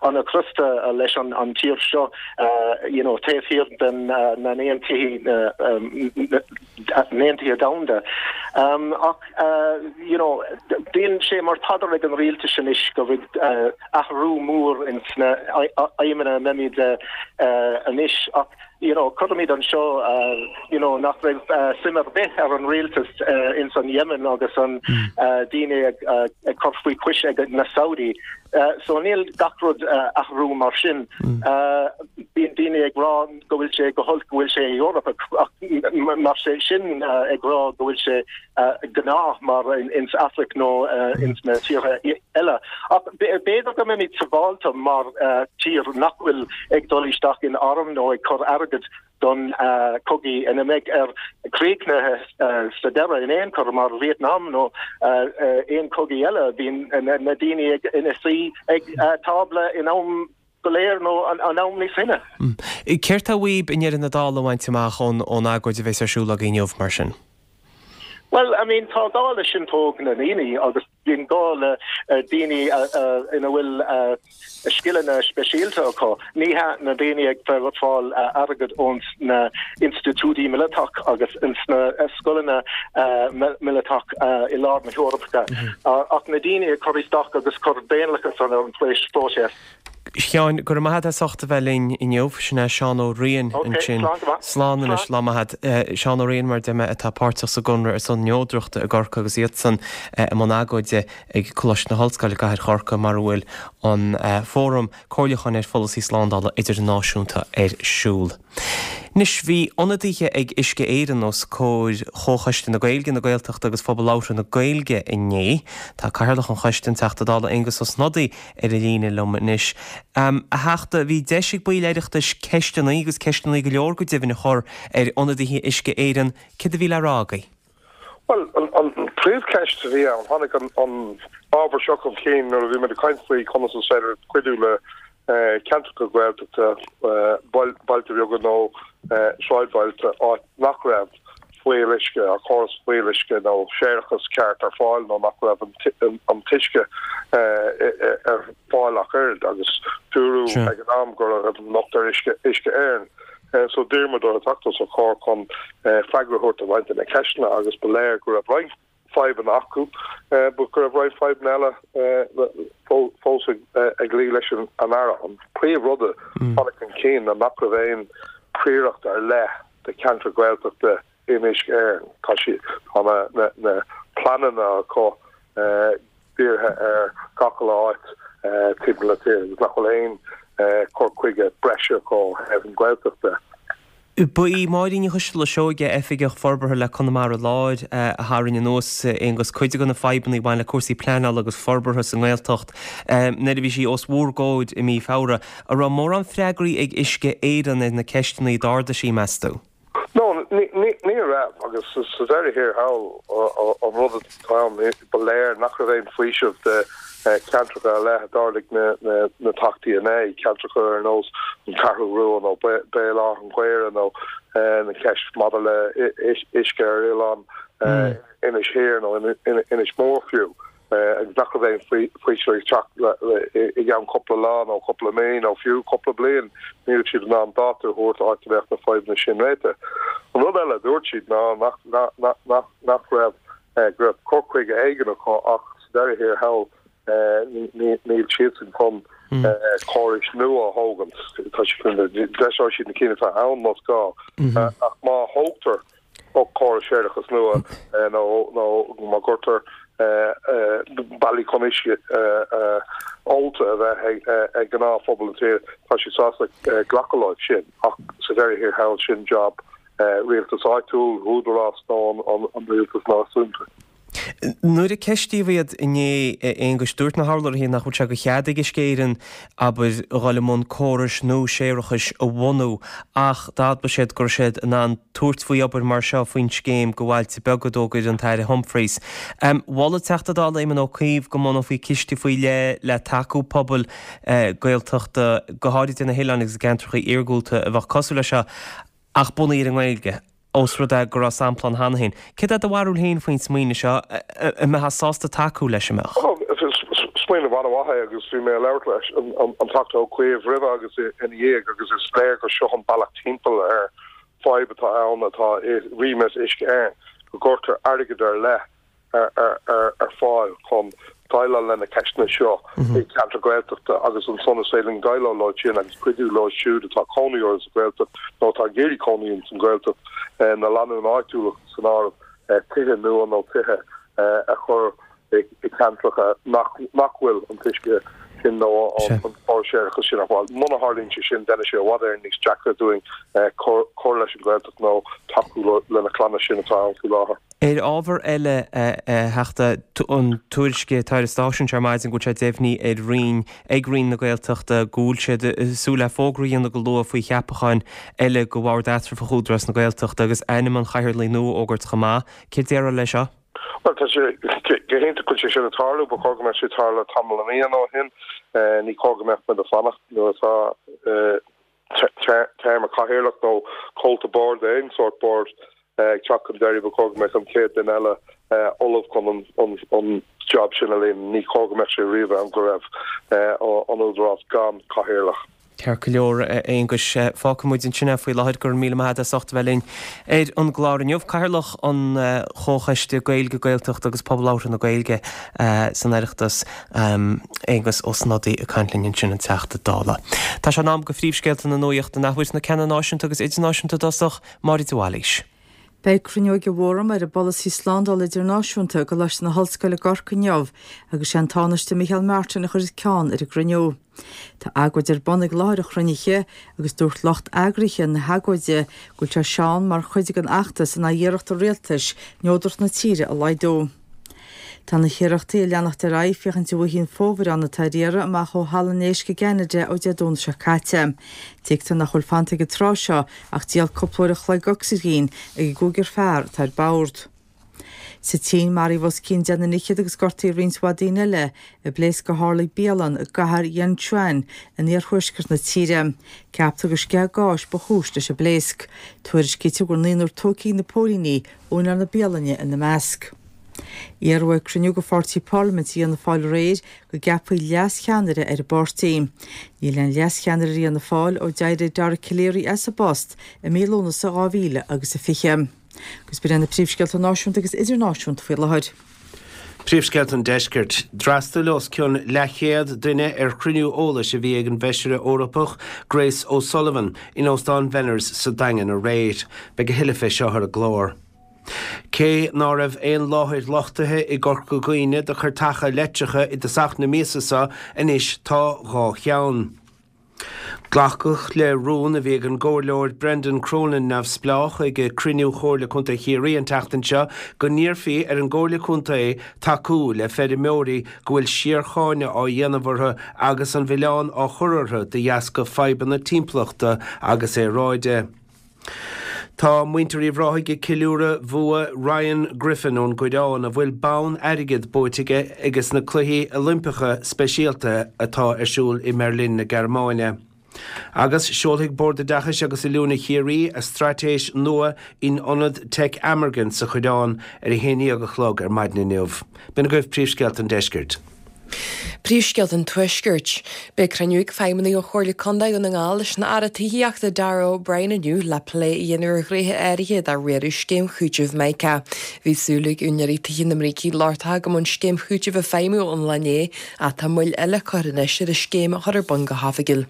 an-chrosta leis an tír seo you know taobh thiar den na n-aontaithe n-aontaithe domhanda. Ach you know bíonn sé mar phaidir ag an rialtas anois go bhfuil athrú mór ins na aidhmeanna a mbeimid anois ach you know cuirimid anseo you know nach raibh suim ar bith ar an rialtas ins an Yemen agus an daoine ag cur faoi chois ag na Saudi. So níl gach rud athrú mar sin. Bíonn daoine ag rá go bhfuil sé go holc go bhfuil sé i Eoraip ach mar sé sin ag rá go bhfuil sé gnáth mar ins Afraic nó ins na tíortha eile. Ach b'fhéidir go mbeimid sábháilte mar tír nach bhfuil ag dul isteach in arm nó ag cur airgead don cogaí ina mbeidh ar críochnaithe sa deireadh in aon chor mar Vietnam nó aon cogaí eile bíonn na daoine ina suí ag tábla in am go léir nó an am níos sine. Céard tá uaibh i ndeireadh na dála a bhaint amach ón agóid a bheas ar siúl agaibh inniu mar sin? Well, I mean, tá gá le sintóg na ndaoine agus bíonn gá le daoine ina bhfuil scileanna speisialta acu. Ní hea na daoine ag fáil airgead ón na institiúidí míleatach agus ins na scoileanna míleatach i lár na hEorpa. Ach na daoine ag cur isteach agus cur daonlathas ar an phróiseas. Sheáin, go raibh maith agat as ucht a bheith linn inniu. Sin é Seán Ó Riain ansin. Slán anois, lá maith agat. Seán Ó Riain, mar a deir mé, atá páirteach sa gConradh ar son Neodrachta i gCorcaigh agus iadsan i mbun agóide ag Coláiste na hOllscoile i gCathair Chorcaí mar a bhfuil an Fóram Comhairliúcháin ar Pholasaí Slándála Idirnáisiúnta ar siúl. Anois, bhí ionadaithe ag Uisce Éireann os comhair Chomhchoiste na Gaeilge, na Gaeltachta agus Phobal Labhartha na Gaeilge inné. Tá Cathaoirleach an Choiste, an Teachta Dála Aengus Ó Snodaigh, ar an líne liom anois. A Theachta, bhí deis ag baill Oireachtais ceisteanna, agus ceisteanna go leor go deimhin, a chur ar ionadaithe Uisce Éireann. Céard a bhí le rá agaibh? Bhuel, an phríomhcheist a bhí ann, tháinig an ábhar seo chun cinn nuair a bhí muid ag caint faoi conas is féidir cuidiú le ceantracha Gaeltachta, bailte beaga nó sráidbhailte, áit nach raibh fuíolluisce, córas fuíolluisce nó séarachas ceart ar fáil nó nach raibh an t-uisce ar fáil ach oiread agus dúradh ag an am go raibh an locht ar Uisce Éireann. So d'iarr muid orthu teacht os ár gcomhair chun freagra a thabhairt ar roinnt de na ceisteanna agus ba léir go raibh roinnt fadhbanna acu, but go raibh roinnt fadhbanna eile fós ag luí leis an Aire. An príomh-rud a tháinig chun cinn ná nach raibh aon phríoracht ar leith do cheantar Gaeltachta in Uisce Éireann. Tá sí, tá na, na, na pleananna acu dírithe ar gach uile áit timpeall na tíre agus nach bhfuil aon cur chuige breise acu ó thaobh an Ghaeltacht de. Ba í Máirín Ní Choisteala Seoige, Oifigeach Forbartha le Conamara Láir, a tharraing anuas, Aonghus, cuid de na fadhbanna a bhain le cúrsaí pleanála agus forbartha sa nGaeltacht nuair a bhí sí os bhur gcomhair i mí Feabhra. An raibh mórán freagraí ag Uisce Éireann ar na ceisteanna a d'ardaigh sí, meas tú? No, ní raibh, agus sa deireadh thiar thall, an rud atá ann, ba léir nach raibh aon faoiseamh do cheantracha ar leith a d'ardaigh na Teachtaí inné, ceantracha ar nós an Cheathrú Rua nó Béal Átha an Ghaorthaidh nó na ceist maidir le uisce ar oileán Inis Oírr nó Inis Mór fiú, agus nach raibh aon faoiseamh ag teacht i gceann cúpla lá nó cúpla mí nó fiú cúpla bliain, ní raibh siad in ann dáta a thabhairt áit a mbeadh na fadhbanna sin réitithe. An rud eile a dúirt siad ná nach raibh go raibh cur chuige éigin acu ach sa deireadh thiar thall níl siadsan chun córais nua a thógaint. Tá siad deiseoidh siad na cinn atá ann más gá ach má thógtar córas séarachais nua nó nó má gcuirtear bealaí chun uisce ólta a bheith ag gnáthphobal na tíre, tá siad sásta glacadh leo sin ach sa deireadh thiar thall sin job rialtas áitiúil, údarás nó an rialtas náisiúnta. Nuair a ceistíodh iad inné, a Aonghuis, dúirt na hurlabhraithe nach bhfuil sé de chead ag Uisce Éireann, abair, a dhul i mbun córais nua séarachais a bhunú ach d'admhaigh siad go raibh siad in ann tabhairt faoi obair mar seo faoin scéim do bhailte beaga a d'fhógair an tAire Humphreys. Mhol an Teachta Dála Éamon Ó Cuív go mbunófaí ciste faoi leith le tacú pobail Gaeltachta, go háirid ar na hoileáin agus i gceantracha iargúlta a bheadh cosúil leis seo. Ach bunaithe ar an nGaeilge, ós rud é go raibh sampla ann cheana féin. Céard é do bharúil féin faoin smaoineamh seo? An mbeifeá sásta tacú leis, an mbeadh? Smaoineamh an-mhaith é agus bhí mé ag labhairt leis an Teachta Ó Cuív roimhe agus ina dhiaidh agus is léir gur seo an bealach timpeall ar fadhb atá ann atá i remit Uisce Éireann, go gcuirtear airgead ar leith ar fáil chun déileáil le na ceisteanna seo i gceantar Gaeltachta agus ansan is féidir linn déileáil leo sin agus cuidiú leo siúd atá cónaí orthu sa Ghaeltacht nó atá ag iarraidh cónaí ins an Ghaeltacht, na lánúin áitiúla san áireamh, tithe nua nó tithe a chur i gceantracha nach bhfuil an t-uisce sin nó an córas séarachais sin ar fáil. Muna tharlaíonn sé sin déanfaidh sé i bhfad Éireann níos deacra dúinn cur leis an Ghaeltacht nó tacú le na clanna sin atá ann faoi láthair. Ar ábhar eile, a Theachta, an tuairisc atá ar an stáisiún seo ar maidin go bhfuil sé deimhnithe ar Roinn, ag Roinn na Gaeltachta go bhfuil siad ag súil le fógra a dhéanamh go luath faoi cheapacháin eile go Bhord Eatramhach Údarás na Gaeltachta agus ainm an chathaoirligh nua a fhógairt chomh maith. Céard a déarfá leis seo? Bhuel, tá sé go hiontach go bhfuil sé sin ag tarlú. Ba chóir go mbeadh sé ag tarlú tamall de mhíonna ó shin. Ní chóir go mbeadh muid ag fanacht nuair atá téarma cathaoirleach nó comhalta boird, aon sórt boird, ag teacht chun deiridh. Ba chóir go mbeadh an chéad duine eile ullamh chun an job sin a líonadh. Ní chóir go mbeadh sé riamh ann go raibh an Údarás gan cathaoirleach. Ceart go leor, a Aonghuis. Fágfaidh muid ansin é faoi láthair. Go raibh míle maith agat as ucht a bheith linn ar an gclár inniu. Cathaoirleach an Chomhchoiste Gaeilge, Gaeltachta agus Pobal Labhartha na Gaeilge san Oireachtas, Aengus Ó Snodaigh ag caint linn ansin, an Teachta Dála. Tá sé in am do phríomhscéalta na nuachta an athuair, na ceanna náisiúnta agus idirnáisiúnta i dtosach, Máire de Bhailís. Beidh cruinniú ag an bhFóram ar an bPolasaí Slándála Idirnáisiúnta i gColáiste na hOllscoile i gCorcaigh inniu agus sé an Tánaiste Micheál Martin a chuirfeas ceann ar an gcruinniú. Tá agóid ar bun ag láthair an chruinnithe agus dúirt lucht eagraithe na hagóide go bhfuil sé seo ann mar chuid den fheachtas in aghaidh iarracht an rialtais neodracht na tíre a laghdú. Tá na hiarrachtaí ag leanacht ar aghaidh féachaint an bhfaighfí an fomhuireán atá ar iarraidh amach ó Halla an Éisc i gCeanada ó Dé Domhnaigh seo caite. Tuigtear nach bhfuil fanta ag an tráth seo ach diabhal cúpla uair an chloig ocsaigin ag an gcúigear fear atá ar bord. Sa tSín, maraíodh os cionn deich nduine fhichead agus gortaíodh roinnt mhaith daoine eile i bpléasc a tharla ag bialann i gcathair Yinchuan in iarthuaisceart na tíre. Ceaptar gur sceitheadh gáis ba chúis leis an bpléasc. Tuairiscítear go bhfuil naonúr tógtha ag na póilíní, úinéir na bialainne ina measc. Iarradh ag cruinniú de pháirtí parlaiminte Fhianna Fáil aréir go gceapfaí leas-cheannaire ar an bpáirtí. Níl aon leas-cheannaire ar Fhianna Fáil ó d'éirigh Dara Calleary as an bpost i mí Lúnasa dhá mhíle agus a fiche. Agus b'in iad na príomhscéalta náisiúnta agus idirnáisiúnta faoi láthair. Príomhscéalta an Deiscirt. D'fhreastail os cionn leathchéad duine ar chruinniú eolais a bhí ag an bhFeisire Eorpach Grace O'Sullivan in Óstán Bhenners sa Daingean aréir. Beidh a thuilleadh fé seo ar an gclár. Cé ná raibh aon láthair lochtaithe i gCorca Dhuibhne do chairteacha leictreacha i dtosach na míosa seo, anois tá dhá cheann. Glacadh le rún a bhí ag an gComhairleoir Brendan Cronin, Neamhspleách, ag cruinniú Chomhairle Contae Chiarraí an tseachtain seo go n-iarrfaí ar an gComhairle Contae tacú le feirmeoirí go bhfuil síorcháineadh á dhéanamh orthu agus an milleán á chur orthu de dheasca fadhbanna timpeallachta agus aeráide. Tá muintir Uíbh Ráthaigh ag ceiliúradh bhua Ryan Griffin ón gCoireán, a bhfuil bonn airgid buaite aige aige sna Cluichí Oilimpeacha Speisialta atá ar siúl i mBeirlin na Gearmáine. Agus seolfaidh Bord Oideachais agus Oiliúna Chiarraí a straitéis nua in Ionad Teic Amergin sa Choireán ar a haon déag a chlog ar maidin inniu. B'in agaibh príomhscéalta an deiscirt. Príomhscéalta an Tuaiscirt. Beidh cruinniú ag feidhmeannaigh ó Chomhairle Contae Dhún na nGall leis an Aire Tithíochta Darragh O'Brien inniu le plé a dhéanamh ar ghnéithe áirithe de riaradh scéim chúitimh Mica. Bhí súil ag úinéirí tithe na mBrící Lochtacha go mbeadh an scéim chúitimh ag feidhmiú ón lá inné ach tá moill eile curtha anois ar an scéim a chur ar bun go hoifigiúil.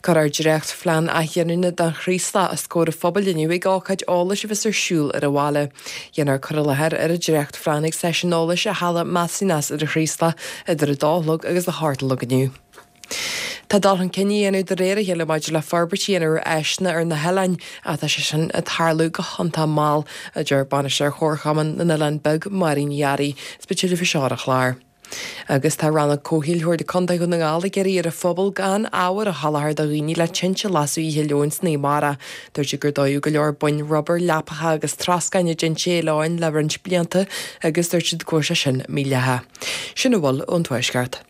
Cuirfear dréachtphlean athghiniúna don Chraoslach os comhair an phobail inniu ag ócáid eolais a bheas ar siúl ar an bhaile. Dhéanfar cur i láthair ar an dréachtphlean ag seisiún eolais i Halla Macinas ar an Chraoslach idir a dó a chlog agus a hocht a chlog inniu. Tá dul chun cinn á dhéanamh de réir a chéile maidir le forbairt a dhéanamh ar áiseanna ar na hoileáin ach tá sé sin ag tarlú go hiontach mall, a deir Bainisteoir Chomharchumann na nOileán Beag, Máirín Ní Fhearraigh. Is beidh tuilleadh faoi seo ar an chlár. Agus tá Rannóg Comhshaoil Chomhairle Contae Dhún na nGall ag iarraidh ar an phobal gan ábhar a sholáthar do dhaoine le tinte a lasadh oíche Luain san Amárach. Dúirt siad gur dódh go leor boinn rubair, leapacha agus troscáin i dtinte oileáin le roinnt blianta agus dúirt siad go bhfuil sé sin mídhleathach. Sin a bhfuil ón Tuaisceart.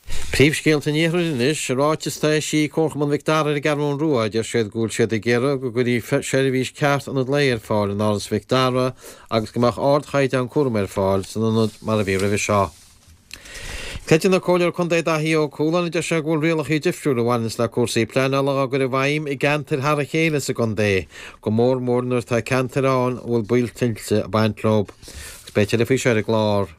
Príomhscéalta an Iarthair anois, ráiteas atá eisithe ag Comharchumann Mhic Dara ar an gCeathrú Rua, deir siad go bhfuil siad ag iarraidh go gcuirfí seirbhís ceart ionad lae ar fáil in Áras Mhic Dara agus go mbeadh ardchaighdeán cúraim ar fáil san ionad mar a bhí roimhe seo. Creideann an Comhairleoir Contae Daithí Ó Cualáin, deir sé go bhfuil rialacha difriúla a bhaineanns le cúrsaí pleanála á gcur i bhfeidhm i gceantair thar a chéile sa gcontae, go mór mór nuair atá ceantair ann a bhfuil baol tuilte ag baint leo. Agus beidh tuilleadh faoi seo ar an gclár.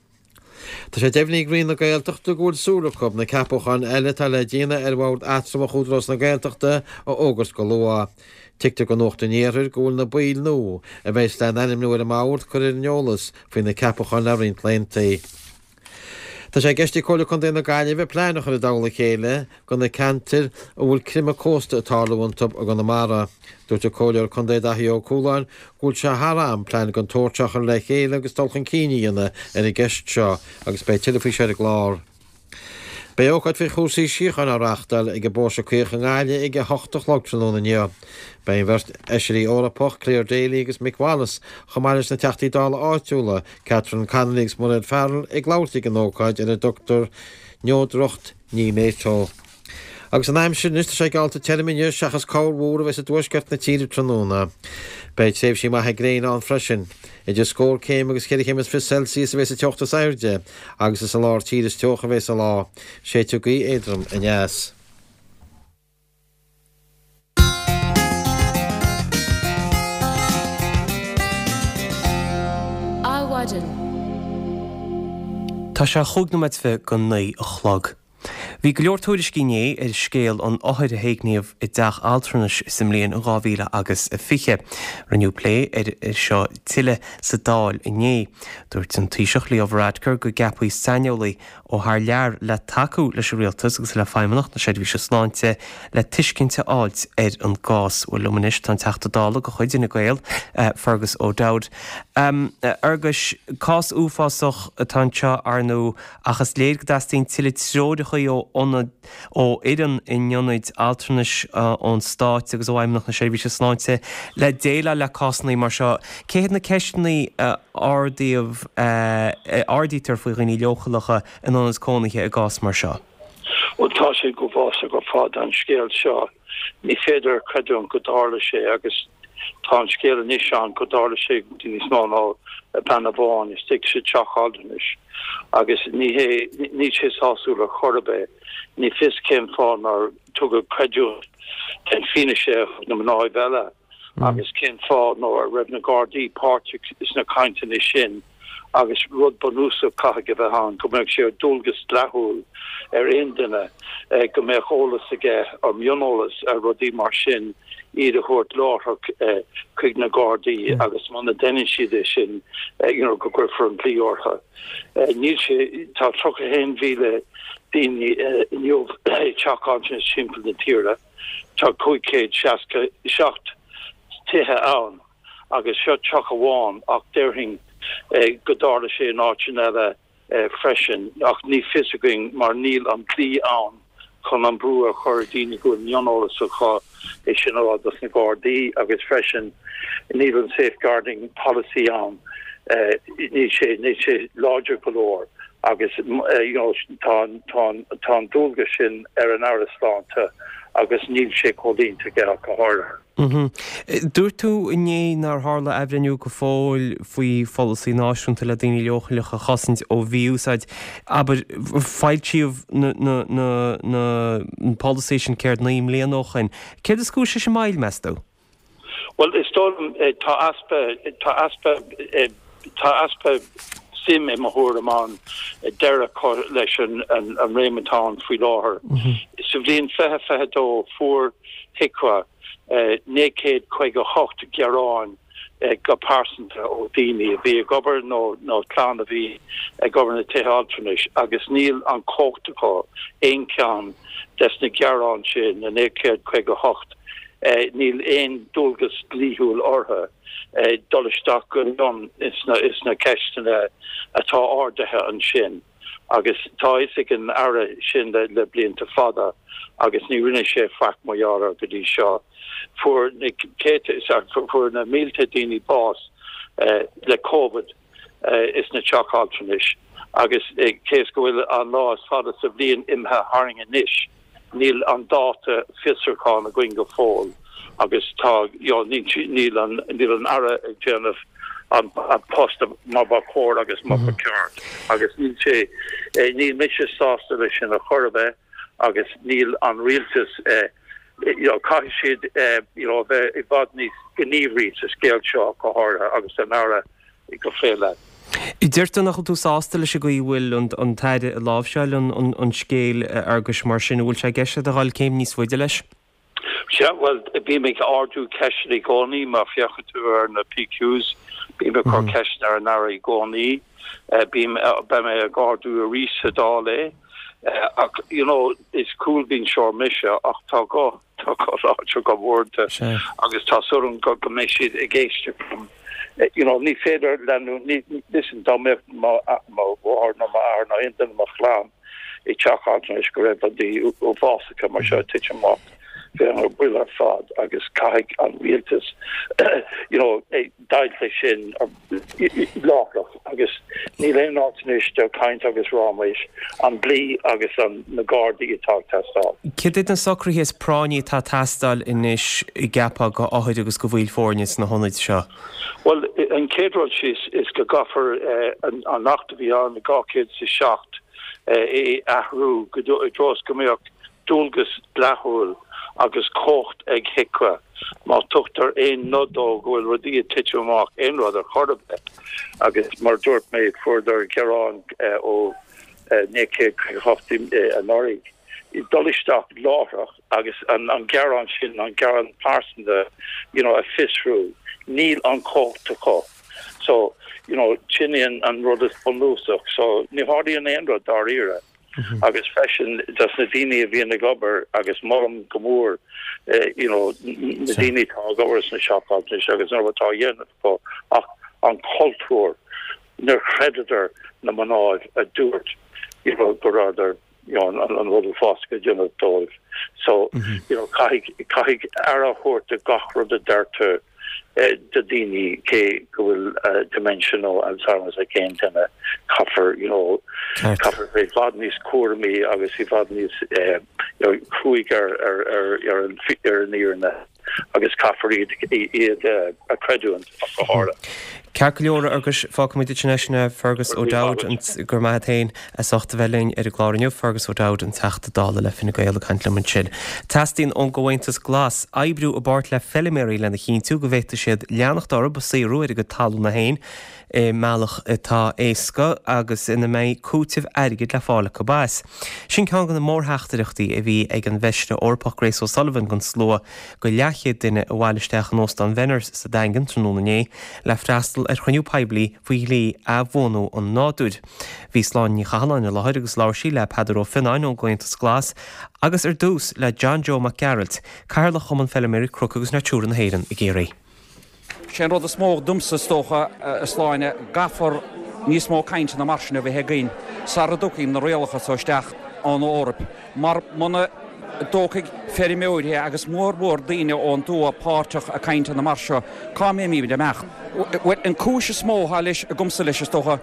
Tá sé deimhnithe ag Roinn na Gaeltachta go bhfuil súil acu na ceapacháin eile atá le déanamh ar Bhord Eatramhach Údarás na Gaeltachta a fhógairt go luath. Tuigtear do Nuacht an Iarthair go bhfuil na baill nua a bheas le n-ainmniú ar an mbord curtha ar an eolas faoi na ceapacháin le roinnt laethanta. Tá sé i gceist ag Comhairle Contae na Gaillimhe plean a chur i dtoll a chéile do na ceantair a bhfuil creimeadh cósta ag tarlú iontu i gConamara. Dúirt an Comhairleoir Contae Daithí Ó Cualáin go bhfuil sé thar am plean den tsórt seo a chur le chéile agus dul chun cinn a dhéanamh ar an gceist seo agus beidh tuilleadh faoi seo ar an gclár. Beidh ócáid faoi chúrsaí síochána á reáchtáil ag an bPóirse Caoch i nGaillimh ag a hocht a chlog tráthnóna inniu. Beidh an bheirt fheisirí Eorpach, Clare Daly agus Mick Wallace, chomh maith leis na Teachtaí Dála áitiúla, Catherine Connolly agus Mairéad Farrell ag labhairt ag an ócáid ar a dtugtar Neodracht Ní NATO. Agus an aimsir anois, tá sé geallta tirim inniu seachas corrmhúr a bheas i dtuaisceart na tíre tráthnóna. Beidh tréimhsí maithe gréine ann freisin. Idir scór céim agus ceithre chéim is fiche Celsius a bheas an teocht is airde agus is i lár tíre is teocha a bheas an lá. Séidfidh gaoth éadrom aneas. Adhmhaidin. Tá sé chúig nóiméad is fiche go naoi a chlog. Bhí go leor tuairiscí inné ar scéal an othair a héigníodh i dteach altranais sa mbliain dhá mhíle agus a fiche. Rinneadh plé air seo tuilleadh sa Dáil inné. Dúirt an Taoiseach Leo Varadkar go gceapfaí saineolaí ó thar lear le tacú leis an rialtas agus le Feidhmeannacht na Seirbhíse Sláinte le tuiscint a fháilt ar an gcás. Bhuel, liom anois tá an Teachta Dála de chuid Fhine Gael, Fergus O'Dowd. A Fherguis, cás uafásach atá anseo, ar ndóigh, ach is léir go dteastaíonn tuilleadh treoracha ó ionad, ó fhoireann in ionaid altranais ón Stát agus ó Fheidhmeannacht na Seirbhíse Sláinte le déileáil le cásanna mar seo. Cé hiad na ceisteanna a ardaíodh, a ardaítear faoi dhaoine leochaileacha in ionad cónaithe i gcás mar seo? Bhuel, tá sé go huafásach ar fad an scéal seo. Ní féidir a chreidiúint go dtarla sé agus tá an scéal anois ann go dtarla sé go dtí níos mó ná bean amháin istigh sa teach altranais agus ní hé, níl sé sásúil ar chor ar bith. Ní fios cén fáth nár tugadh creidiúint den fianaise a thug na mnáibh eile agus cén fáth ná raibh na Gardaí páirteach sna cainteanna sin agus rud bunúsach caithfidh a bheith ann go mbeadh sé ar dualgas dleathúil ar aon duine go mbeadh eolas aige ar mioneolas ar rudaí mar sin iad a thabhairt láithreach chuig na Gardaí agus muna ndeineann siad é sin you know go gcuirfear an dlí orthu. Níl sé, tá tríocha a haon mhíle daoine inniu i dteach altranais timpeall na tíre, tá cúig chéad seasca seacht tithe ann agus seo teach amháin ach déarfainn go dtarla sé in áiteanna eile freisin ach ní fios againn mar níl an dlí ann chun an brú a chur ar daoine go bhfuil mioneolas acu é sin a rá dos na Gardaí agus freisin níl an safeguarding policy ann níl sé níl sé láidir go leor agus you know tá tá tá an dualgas sin ar an Aire Sláinte agus níl sé comhlíonta aige ach go háirithe. Dúirt tú inné nár tharla athbhreithniú go fóill faoi pholasaí náisiúnta le daoine leochaileacha a chosaint ó mhí-úsáid. Abair, foilsíodh an polasaí sin céard naoi mbliana ó shoin. Céard is cúis leis an moill, meas tú? Bhuel, is dóigh liom, tá easpa, tá easpa, tá easpa suim i mo thuairim ann deireadh a chur leis an réim atá ann faoi láthair. Sa bhliain fiche fiche dó fuair HIQA naoi gcéad caoga a hocht gearáin go pearsanta ó daoine a bhí ag obair nó nó clann a bhí ag obair na tithe altranais agus níl an chumhacht acu aon cheann des na gearáin sin, na naoi gcéad caoga a hocht, níl aon dualgas dlíthiúil orthu dul isteach go mion sna ceisteanna atá ardaithe ansin. Agus tá a fhios ag an Aire sin le blianta fada agus ní rinne sé faic mar gheall air go dtí seo. Fuair na céadta is fuair na mílte daoine bás le Covid isna teach altranais agus cé is go bhfuil an lá is fada sa bhliain imithe tharainn anois, Níl an dáta fiosrúcháin againn go fóill agus tá, you know, níl an, níl an Aire ag déanamh an post mar ba chóir agus mar ba ceart agus níl sé, níl mise sásta leis sin ar chor ar bith agus níl an rialtas, you know, caithfidh siad, you know, a bheith i bhfad níos gníomhaí sa scéal seo go háirithe agus an Aire go fé leith. Deir tú nach bhfuil tú sásta leis an gcaoi a bhfuil an tAire ag láimhseáil an scéil, a Fhearghuis, mar sin, an bhfuil sé i gceist agat a dhul céim níos faide leis? Sea, bhuel, bím ag ardú ceisteanna i gcónaí, má féachann tú ar na PQs, Bím ag cur ceisteanna ar an Aire i gcónaí, bím, beidh mé ag ardú arís sa Dáil é. Ach, you know, is cúlbhinseoir mise ach tá guth, tá guth láidir agam uaireanta agus tá súil agam go, go mbeidh siad ag éisteacht liom. You know, ní féidir leanúint, ní, listen, dá mbeadh mo, mo mháthair nó m'athair nó aon duine i mo chlann i dteach altranais go raibh rudaí uafásacha mar seo ag titim amach, bheinn ar buile ar fad agus caithfidh an rialtas, you know, deighilt leis sin láithreach agus níl aon áit anois do chaint agus ráiméis, an dlí agus an na gardaí atá ag teastáil. Cad iad na socruithe is práinní atá ag teastáil anois an gceapfá do othair agus do bhaill foirne sna hionaid seo? Bhuel, an chéad rud síos is go gcaithfear an Acht a bhí ann i dhá chéad is a seacht a athrú i dtreo is go mbeadh dualgas dleathúil agus cumhacht ag HIQA má tugtar aon nod dó go bhfuil rudaí ag titim amach, aon rud ar chor ar bith. Agus mar a dúirt mé, fuaireadar gearán ó naoi chéad caoga a hocht anuraidh, dul isteach láithreach agus an gearán sin, an gearán pearsanta, you know, a fiosrú. Níl an chumhacht acu. So, you know, sin é an rud is bunúsach. So, ní tharlaíonn aon rud dáiríre. Agus freisin dos na daoine a bhíonn ag obair agus molaim go mór you know na daoine atá ag obair sna teach altranais agus an obair atá á dhéanamh acu ach an cultúr níor chreideadar na mná a dúirt you know go rabhadar you know an rud uafásach a déanamh dóibh. So you know caithfidh caithfidh aire a thabhairt do gach rud a deirtear do daoine cé go bhfuil dementia nó Alzheimer's ag aon duine, caithfear you know caithfear bheith i bhfad níos cúramaí agus i bhfad níos you know cruaidh ar ar ar ar an ar an fhírinne agus caithfear iad iad a chreidiúint ach go háirithe. Ceart go leor, a Fhearghuis, fágfaimid ansin é sin é, Fergus O'Dowd, go raibh maith a't féin as ucht a bheith linn ar an gclár inniu, Fergus O'Dowd, an Teachta Dála le Fine Gael ag caint liom ansin. Teastaíonn ón gComhaontas Glas oibriú i bpáirt le feiliméaraí lena chinntiú go bhféadfaidh siad leanacht orthu ag saothrú ar a gcuid talúna féin i mbealach atá éasca agus ina mbeidh cúiteamh airgid le fáil acu as. Sin ceann de na mórtheachtaireachtaí a bhí ag an bhFeisire Eorpach Grace O'Sullivan don slua de leathchéad duine a bhailigh isteach in Óstán Bhenners sa Daingean tráthnóna inné le freastal ar chruinniú poiblí faoi dhlí athbhunú an nádúir. Bhí Sláine Ní Chathalláin i láthair agus labhair sí le Peadar Ó Fionnáin ón gComhaontas Glas agus ar dtús le John Joe Mac Gearailt, Cathaoirleach Chumann Feiliméaraí Cnoc agus Natura na hÉireann i gCiarraí. Sé an rud is mó domsa is dócha, a Shláine, gcaithfear níos mó cainteanna mar sin a bheith againn sara dtiocfaidh na rialacha so isteach ón Eoraip mar muna dtógfaidh feirmeoirí agus mór mhór daoine ón dtuath páirteach i cainteanna mar seo, cá mbeimid ag imeacht? Bhuel, an cúis is mó atá leis, agamsa leis, is dócha,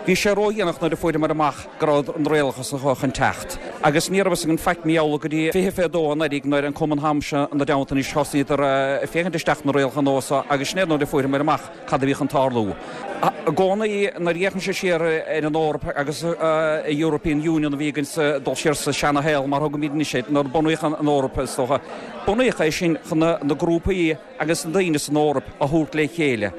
bhí sé ródhéanach nuair a fuaireamar amach go raibh na rialacha so chun teacht. Agus ní raibh fhios againn faic mar gheall go dtí fiche fé dó anuraidh nuair an cumann agamsa ina dteannta anois thosnaíodar ag féachaint isteach na rialacha nua so agus sin é nuair a fuaireamar amach cad a bhí chun tarlú. I gcónaí nuair a fhéachaimse siar ar an Eoraip agus an European Union a bhí againn sa dul siar sa seana-shaol mar thugaimid anois air, nuair a bunaíodh an Eoraip is dócha, bunaíodh é sin chun na grúpaí agus na daoine san Eoraip a thabhairt le chéile,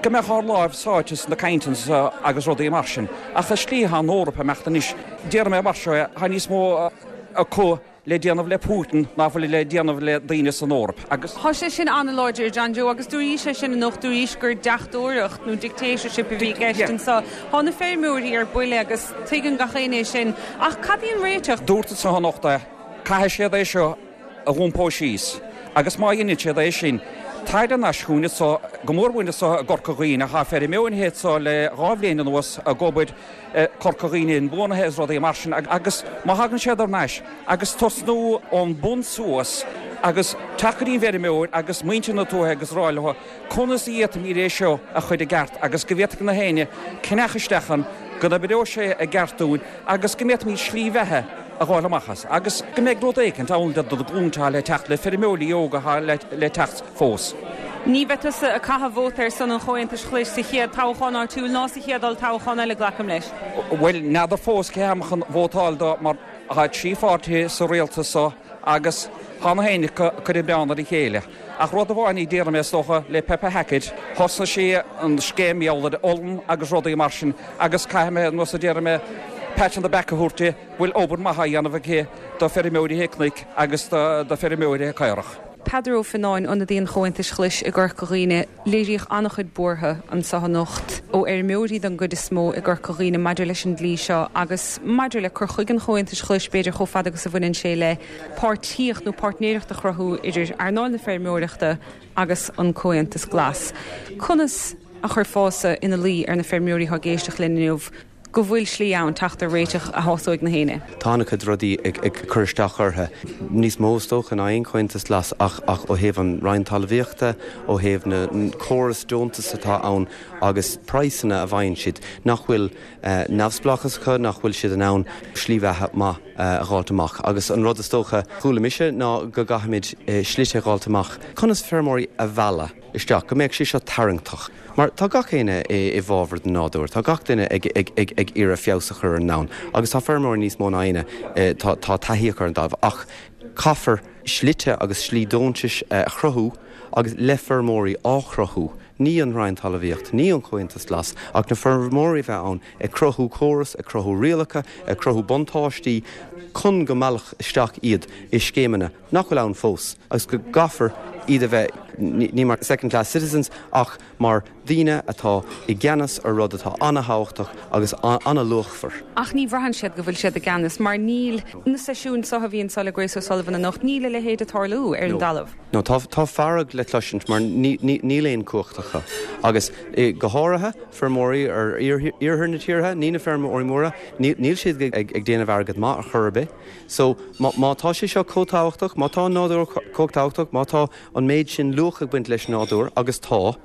go mbeadh ár láimh sáite sna cainteanna so agus rudaí mar sin. Ach an slí atá an Eoraip ag imeacht anois, déarfaidh mé mar seo é, tá níos mó acu le déanamh le Putin ná fuil le déanamh le daoine san Eoraip agus. Tá sé sin an-láidir, John Joe, agus dúraís é sin anocht, dúraís gur deachtóireacht nó dictatorship a bhí i gceist anso. Tá na feirmeoirí ar buile agus tuigeann gach éinne é sin. Ach cad í an réiteach? Dúrt anso anocht é, caithfidh siad é seo a dh'iompó síos agus má dheineann siad é sin, tar thar n-ais chugainn anso, go mór mhór anso i gCorca Dhuibhne, tá feirmeoirí anso le dhá bhliain anuas ag obair, Corca Dhuibhne inbhuanaithe is rudaí mar sin agus má thagann siad thar n-ais agus tosnú ón bun suas agus teacht go dtí an bhfeirmeoir agus muintir na tuaithe agus rá leo conas a fhéadfaimid é seo a chur i gceart agus go bhféadfaidh na héinne ceannach isteach ann go n-oibreoidh sé i gceart dúinn agus go bhféadfaimid slí bheatha a dh'fháil amach as agus go mbeidh rud éicint ann do na glúnta atá le teacht, le feirmeoirí óga atá le teacht fós. Ní bheidh tusa ag caitheamh vóta ar son an Chomhaontais Ghlais sa chéad toghchán áitiúil ná sa chéad olltoghchán eile, glacaim leis. Bhuel, n'fheadar fós cé tháim chun vótáil dó mar tá trí pháirtithe sa rialtas so agus tá na héinne acu ag cur an milleán ar a chéile. Ach rud amháin a déarfaidh mé is dócha le Peppa Hackett, thosnaigh sí an scéim mar gheall ar olann agus rudaí mar sin agus caithfidh mé, nós a déarfaidh mé, pat on the back a thabhairt di, bhfuil obair maith á dhéanamh aici do feirmeoirí cnoic agus do feirmeoirí caorach. Peadar Ó Fionnáin, ionadaí an Chomhaontais Ghlais i gCorca Dhuibhne, léiríodh an-chuid buartha anseo anocht ó fheirmeoirí den gcuid is mó i gCorca Dhuibhne maidir leis an dlí seo agus maidir le cur chuige an Chomhaontais Ghlais b'fhéidir chomh fada agus a bhaineann sé le páirtíocht nó páirtnéireacht a chruthú idir earnáil na feirmeoireachta agus an Comhaontas Glas. Conas a chuirfeása ina luí ar na feirmeoirí atá ag éisteacht linn inniu go bhfuil slí ann teacht ar réiteach a shásóidh na héinne? Tá an-chuid rudaí ag cur isteach orthu, níos mó is dócha ná aon Chomhaontas Glas ach ach ó thaobh an Roinn Talmhaíochta, ó thaobh na córas deontas atá ann agus praghsanna a bhfaigheann siad, nach bhfuil neamhspleáchas acu, nach bhfuil siad in ann slí bheatha maith a dh'fháilt amach. Agus an rud is dócha chuala mise ná go gcaithfimid slite a dh'fháilt amach conas feirmeoirí a mhealladh isteach, go mbeadh sé seo tarraingteach. Mar tá gach éinne i bhfabhar den nádúr, tá gach duine ag ag ag iarraidh feabhas a chur ar an ndomhan agus tá feirmeoirí níos mó ná éinne, tá tá taithí acu ar an dtalamh ach caithfear slite agus slí deontais a chruthú agus le feirmeoirí á chruthú, ní an Roinn Talmhaíochta, ní an Comhaontas Glas ach na feirmeoirí a bheith ann ag cruthú córas, ag cruthú rialacha, ag cruthú buntáistí chun go meallfar isteach iad i scéimeanna nach bhfuil ann fós agus go gcaithfear iad a bheith ní mar second class citizens ach mar daoine atá i gceannas ar rud atá an-thábhachtach agus an-luachmhar. Ach ní bhraitheann siad go bhfuil siad i gceannas mar níl na seisiúin seo a bhí anseo le Grace O'Sullivan anocht, níl a leithéid ag tarlú ar an dtalamh. No, tá tá fearg le cloisint mar níl aon cumhacht acu agus go háirithe feirmeoirí ar iarthar na tíre, ní na feirmeoirí móra, níl siad ag déanamh airgead maith ar chor ar bith. So má tá sé seo chomh tábhachtach, má tá an nádúr chomh tábhachtach, má tá an méid sin luach ag baint leis an nádúr, agus tá,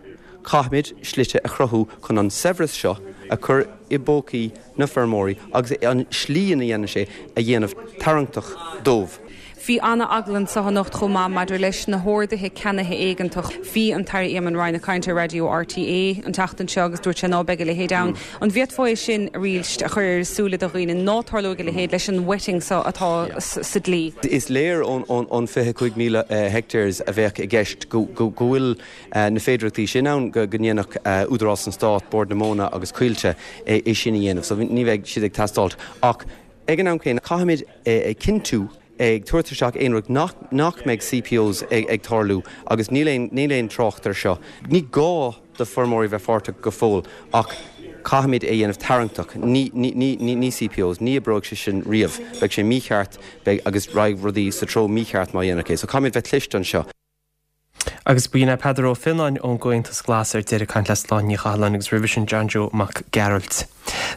caithfimid slite a chruthú chun an saibhreas seo a chur i bpócaí na feirmeoirí agus an slí ina dhéanann sé a dhéanamh tarraingteach dóibh. Bhí an-eagla anseo anocht chomh maith maidir leis na horduithe ceannaithe éigeantach. Bhí an tAire Eamon Ryan ag caint ar Raidió RTÉ an tseachtain seo agus dúirt sé ná beidh a leithéid ann. An bhféadfá é sin arís a chur ar súile do dhaoine ná tarlóidh a leithéid leis an wetting seo atá sa dlí? Is léir ón fiche cúig míle hectares a bheadh i gceist go bhfuil na féidearthachtaí sin ann go ndéanfadh Údarás an Stáit, Bord na Móna agus Coillte é sin a dhéanamh. So ní bheidh siad ag teastáilt. Ach ag an am céanna caithfimid cinntiú ag tabhairt isteach aon rud nach nach mbeidh CPOs ag ag tarlú agus níl aon níl aon trácht ar seo. Ní gá do feirmeoirí bheith páirteach go fóill ach caithfimid é dhéanamh tarraingteach. Ní ní ní ní ní CPOs, ní oibreoidh sé sin riamh. Beidh sé mícheart beidh agus raghaidh rudaí sa treo mícheart má dhéanamh é. So caithfimid bheith cliste anseo. Agus b'in é Peadar Ó Fionnáin ón gComhaontas Glas ar deireadh ag caint le Sláine Ní Chathalláin agus roimhe sin John Joe Mac Gearailt.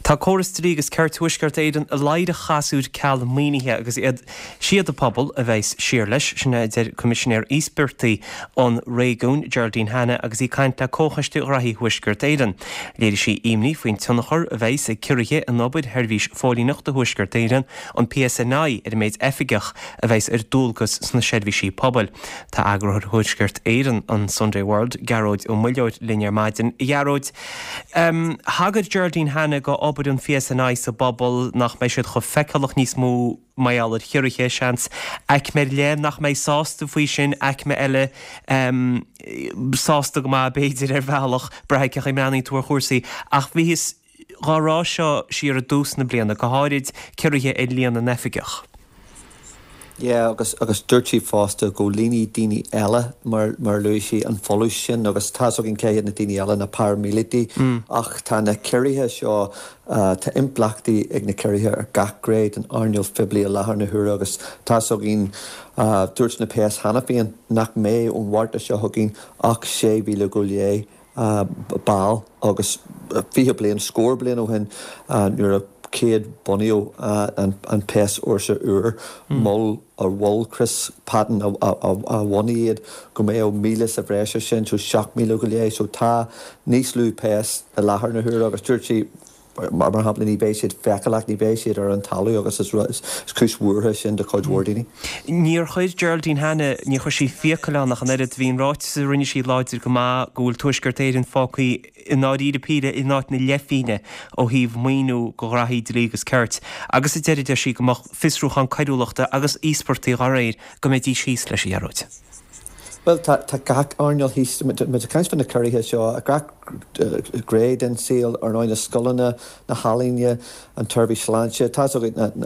Tá córas dlí agus cirt Thuaisceart Éireann i laghad a chasúr ceal maoinithe agus iad siad an pobal a bheas siar leis, sin a deir Coimisinéir Íospartaigh an réigiúin, Geraldine Hanna agus í ag caint le Comhchoiste Ghraithí Thuaisceart Éireann. Léirigh sí imní faoin tionchar a bheas ag ciorruithe in obair Sheirbhís Phóilíneachta Thuaisceart Éireann, an PSNI, ar an méid oifigeach a bheas ar dualgas sna seirbhísí pobail. Tá eagarthóir Thuaisceart Éireann, an Sunday World, Gearóid Ó Muilleoir linn ar maidin. A Ghearóid, thagair Geraldine Hanna go obair an PSNI sa bpobal nach mbeidh siad chomh feiceálach níos mó mar gheall ar chiorruithe, seans, aicme ar leith nach mbeidh sásta faoi sin, aicme eile sásta go maith b'fhéidir ar bhealach, braithfidh cén chaoi a mbreathnaíonn tú ar chúrsaí. Ach bhíothas dhá rá seo siar i dtús na bliana, go háirid ciorruithe ar líon na n-oifigeach. Yeah, agus agus dúirt sí fosta go líonfaidh daoine eile mar mar luaigh sí an folús sin agus tá's againn cé hiad na daoine eile na paraimíleataigh ach tá na ciorruithe seo tá impleachtaí ag na ciorruithe ar gach gné den earnáil phoiblí i láthair na huaire agus tá's againn dúirt na péas cheana féin nach mbeidh ón Mhárta seo chugainn ach sé mhíle go leith ball agus fiche bliain, scór bliain ó shin nuair a céad bunaíodh an péas-fhórsa úr, mhol mhol Chris Patten a bhunaigh iad go mbeadh míle sa bhreis ar sin, so seacht míle go leith. So tá níos lú péas i láthair na huaire agus dúirt sí mar shampla ní bheidh siad feiceálach, ní bheidh siad ar an talamh agus is is cúis bhuartha sin do chuid mhór daoine. Níor chuir Geraldine Hanna, níor chuir sí fiacail ann ach an oiread, bhí an ráiteas a rinne sí láidir go maith go bhfuil Tuaisceart Éireann fágtha i ndáiríre píre in áit na leithphingne ó thaobh maoiniú go ghraithí dlí agus cirt agus a deireadh deir sí go mbeadh fiosrúchán coiriúlachta agus íospartaigh dá réir go mbeidís thíos leis a Ghearóid. Bhuel, tá tá gach earnáil thíos, muid ag caint fá na ciorruithe seo, gach gné den saol, ar ndóigh na scoileanna, na healaíona, an tseirbhís sláinte, tá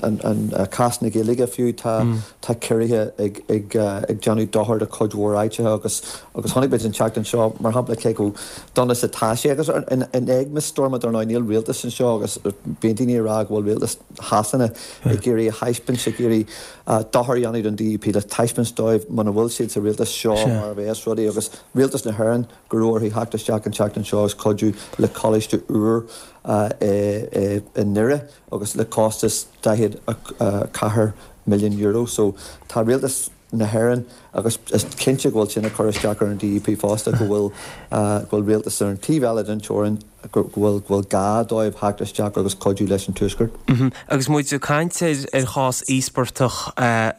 an an cás na Gaeilge fiú, tá tá ciorruithe ag ag ag déanamh dochar do chuid mhór áiteacha agus agus chonaic muid an tseachtain seo, mar shampla, cé chomh dona is atá sé agus in in éagmais Stormont ar ndóigh níl rialtas anseo agus bíonn daoine ag rá go bhfuil rialtas Shasana ag iarraidh a thaispeáint, ag iarraidh dochar a dhéanamh don D U P le taispeáint dóibh muna bhfuil siad sa rialtas seo mar a bheas rudaí agus rialtas na hÉireann go raibh orthu theacht isteach an tseachtain seo agus cuidiú le coláiste úr i nDoire agus le costas daichead a ceathair milliún euro. So tá rialtas na hÉireann agus is cinnte go bhfuil sin ag cur isteach ar an D U P fosta go bhfuil go bhfuil rialtas ar an taobh eile den teorainn go bhfuil go bhfuil gá dóibh theacht isteach agus cuidiú leis an Tuaisceart. Agus muid ag caint ar ar chás íospartach a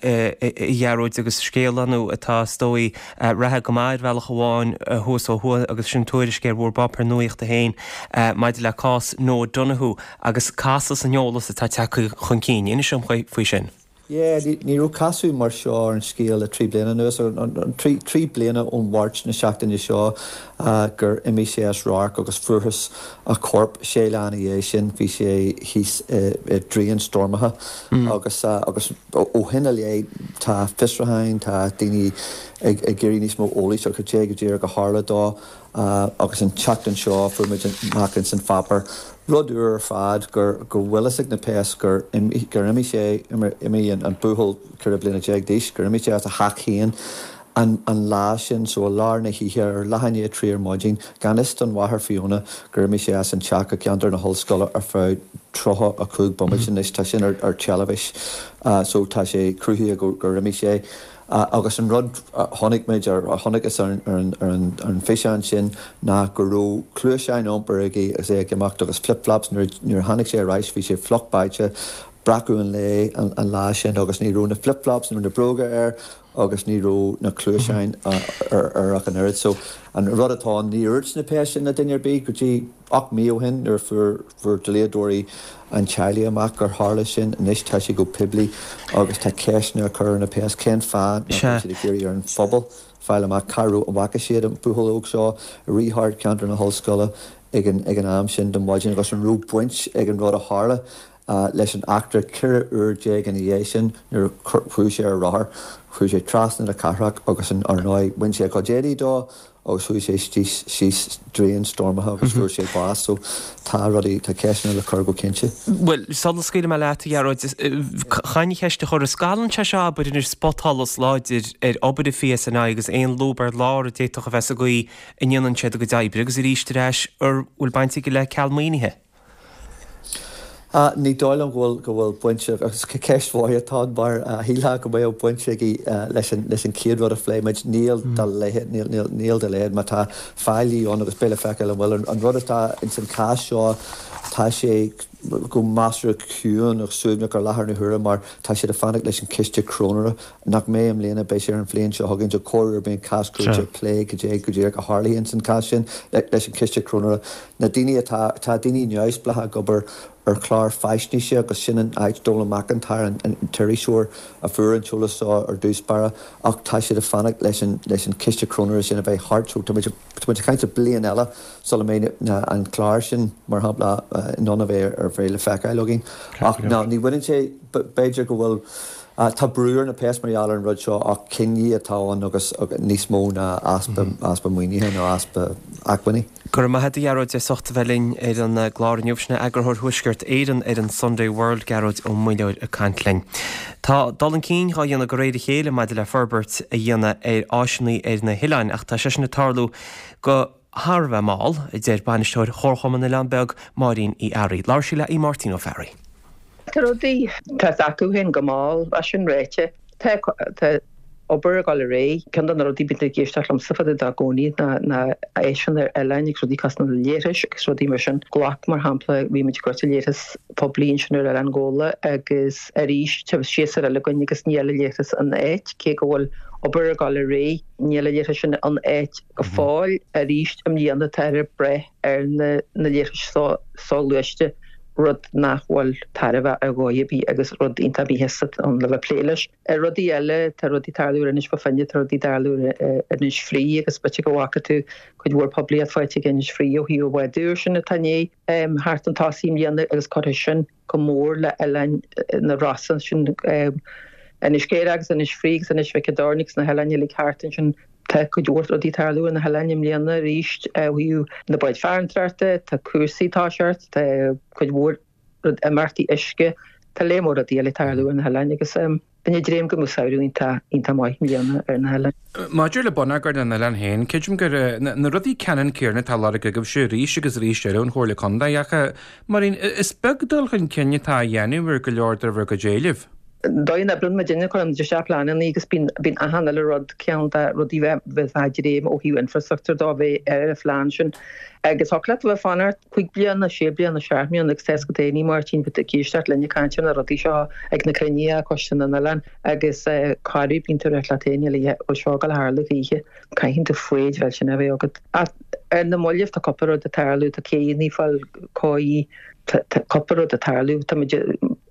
Ghearóid agus scéal ann atá is dóigh reatha go maith ar bhealach amháin thuas ó thuaidh agus sin tuairisc ar bhur bpáipéar nuachta féin maidir le cás Noah Donohoe agus casadh san eolas atá tagtha chun cinn. Inis dom faoi sin. Yeah, ní raibh casadh mar seo ar an scéal le trí bliana anuas, trí trí bliana ón Mháirt na seachtaine seo gur imigh sé as radharc agus fuarthas a chorp sé lá ina dhiaidh sin, bhí sé thíos i dtraein stoirmeacha agus agus ó shin i leith tá fiosrúcháin, tá daoine ag ag iarraidh níos mó eolais ar cad é go díreach a tharla dó. Agus an tseachtain seo fuair muid amach ins an pháipéar, rud úr ar fad, gur go bhfuil fhios ag na péas gur gur imigh sé, imigh an buachaill ceithre bliana déag d'aois, gur imigh sé as a theach féin an an lá sin, so i lár na hoíche, ar leath i ndiaidh a trí ar maidin, gan fhios don mháthair Fiona gur imigh sé as an teach i gceantar na hollscoile ar feadh tríocha a cúig bomaite. Anois tá sin ar ar teilifís so tá sé cruthaithe gur gur imigh sé. Agus an rud a chonaic muid, a chonacthas ar an bhfíseán sin ná go raibh cluaiseáin iompair aige agus é ag imeacht agus flip-flops. Nuair a tháinig sé ar ais bhí sé fliuch báite, breacadh an lae an lá sin agus ní raibh na flip-flops, ní raibh na bróga air agus ní raibh na cluaiseáin air ach an oiread. So an rud atá ann, níor dhúirt na péas sin le duine ar bith go dtí ocht mí ó shin nuair a fuair fuair dlíodóirí an teaghlaigh amach gur tharla sin. Anois tá sé go poiblí agus tá ceisteanna á cur ar na péas cén fáth nach bhfuil siad ag iarraidh ar an phobal fáil amach cá raibh an bhfaca siad an buachaill óg seo ag rith thart ceantar na hollscoile ag an ag an am sin den mhaidin agus an raibh baint ag an rud a tharla leis an eachtra ceithre uair déag ina dhiaidh sin nuair a chuaigh sé ar a rothar, chuaigh sé trasna na cathrach agus ar ndóigh bhain sé a chuid éadaí dó agus chuaigh sé síos síos draein stoirmeacha agus fuair sé bás. So tá rudaí, tá ceisteanna le cur go cinnte. Bhuel, sula scaoilfidh mé leat, a Ghearóid, caithfidh mé ceist a chur, an scalann sé seo abair anois spotsholas láidir ar obair an P S N I agus aon lúb ar lár a d'fhéadfadh a bheith sa gcaoi a ndéanann siad a gcuid oibre agus arís ar ais an bhfuil baint aige le ceal maoinithe? Ní dóigh liom go bhfuil go bhfuil baint agus ceist mhaith atá ann mar shílfeá go mbeadh baint aige leis an leis an chéad rud a phléigh muid. Níl dá leithéid, níl níl níl dá leithéid. Má tá faillí ann agus beidh le feiceáil an bhfuil. An rud atá ins an chás seo, tá sé go measartha ciúin agus suaimhneach ar láthair na huaire mar tá siad ag fanacht leis an chiste cróinéara nach mbeidh i mbliana, beidh sé ar an bhliain seo chugainn. So corruair bíonn cás cúirte ag plé cad é go díreach a tharlaíonn ins an chás sin leis an chiste cróinéara. Na daoine atá, tá daoine neamhspleácha ag obair ar chlár faisnéise agus sin an áit Donal McIntyre an t-iriseoir a fuair an t-eolas seo ar dtús báire ach tá siad ag fanacht leis an leis an chiste cróinéara sin a bheith thart so tá muid tá muid ag caint ar bliain eile sula mbeidh na an clár sin mar shampla in ann a bheith ar bheith le feiceáil againn ach ná ní bhaineann sé b'fhéidir go bhfuil tá brú ar na péas mar gheall ar an rud seo ach cinní atá ann agus níos mó ná easpa easpa maoinithe nó easpa acmhainní. Go raibh maith agat a Ghearóid as ucht a bheith linn ar an gclár inniu. Sin é eagarthóir Thuaisceart Éireann ar an Sunday World, Gearóid Ó Muilleoir ag caint linn. Tá dul chun cinn dhá dhéanamh de réir a chéile maidir le forbairt a dhéanamh ar áiseanna ar na hoileáin ach tá sé sin ag tarlú go thar a bheith mall, a deir bainisteoir Chomharchumann Oileán Beag, Máirín Uí Fhearraigh. Labhair sí le Aodh Máirtín Ó Fearraigh. Tá rudaí tá acu féin go mall é sin ráite. Tá tá obair ag dul ar aghaidh. Ceann de na rudaí bíonn ag éisteacht liomsa fada dá gcónaí ná ná áiseanna ar oileáin agus rudaí cosúil na leithris agus rudaí mar sin. Glac mar shampla bhí muid ag cur leithreas poiblí ansin ar Oileán Ghabhla agus arís tá séasúr eile againn agus níl an leithreas in áit cé go bhfuil obair ag dul ar aghaidh níl an leithreas sin in áit go fóill arís i mbliana tá ar breith ar na na leithris so soghluaiste. rud nach bhfuil tairbhe ar dhóigh ar bith agus rud iontach míshásta ann le bheith plé leis. Ar rudaí eile, tá rudaí tarlú ar Inis Bó Finne, tá rudaí tarlú ar Inis Fraoigh agus b'fhéidir go bhfaca tú cuid mhór poiblíocht faighte ag Inis Fraoigh ó thaobh an bháid úr sin atá i ndiaidh theacht chun tosaigh i mbliana agus cuirfidh sin go mór le oileáin na Rosann sin Inis Céire agus Inis Fraoigh agus Inis Mhic an Doirn agus na hoileáin uilig thart ansin. Tá cuid mhór rudaí ag tarlú ar na hoileáin i mbliana arís ó thaobh na báid farantóireachta, tá cúrsaí ag toiseacht, tá cuid mhór imeachtaí uisce, tá léar mór rudaí eile ag tarlú ar na hoileáin agus bíonn ag dréim go mbeidh samhradh iontach iontach maith i mbliana ar na hoileáin. Maidir le bonneagar na n-oileán féin, creidim gur na rudaí ceannann céanna atá á lorg agaibhse arís agus arís eile ón Chomhairle Contae ach, Máirín, is beag dul chun cinn atá á dhéanamh ar go leor de bhur gcuid éileamh. Dóigh a n-oibríonn muidinne, cuireann muid isteach pleananna agus bíonn bíonn achan uile rud, ceann de rudaí bheith bheith ag dréim ó thaobh infrastructure de bheith ar an phlean sin. Agus thiocfadh leat a bheith ag fanacht cúig bliana, sé bliana, seacht mbliana agus tá 'fhios agat fhéinig Máirtín, bheith ag éisteacht linn ag caint ar na rudaí seo ag na cruinnithe Coiste na nOileán agus corruair bíonn tú ag rá leat féin an bhfuil seo ag dul a tharlú choíche, caitheann tú foighid bheith sin a bheith agat. Ach ar na mallaibh tá cúpla rud ag tarlú, tá céanna ag fáil cóirithe, tá cúpla rud ag tarlú, tá muid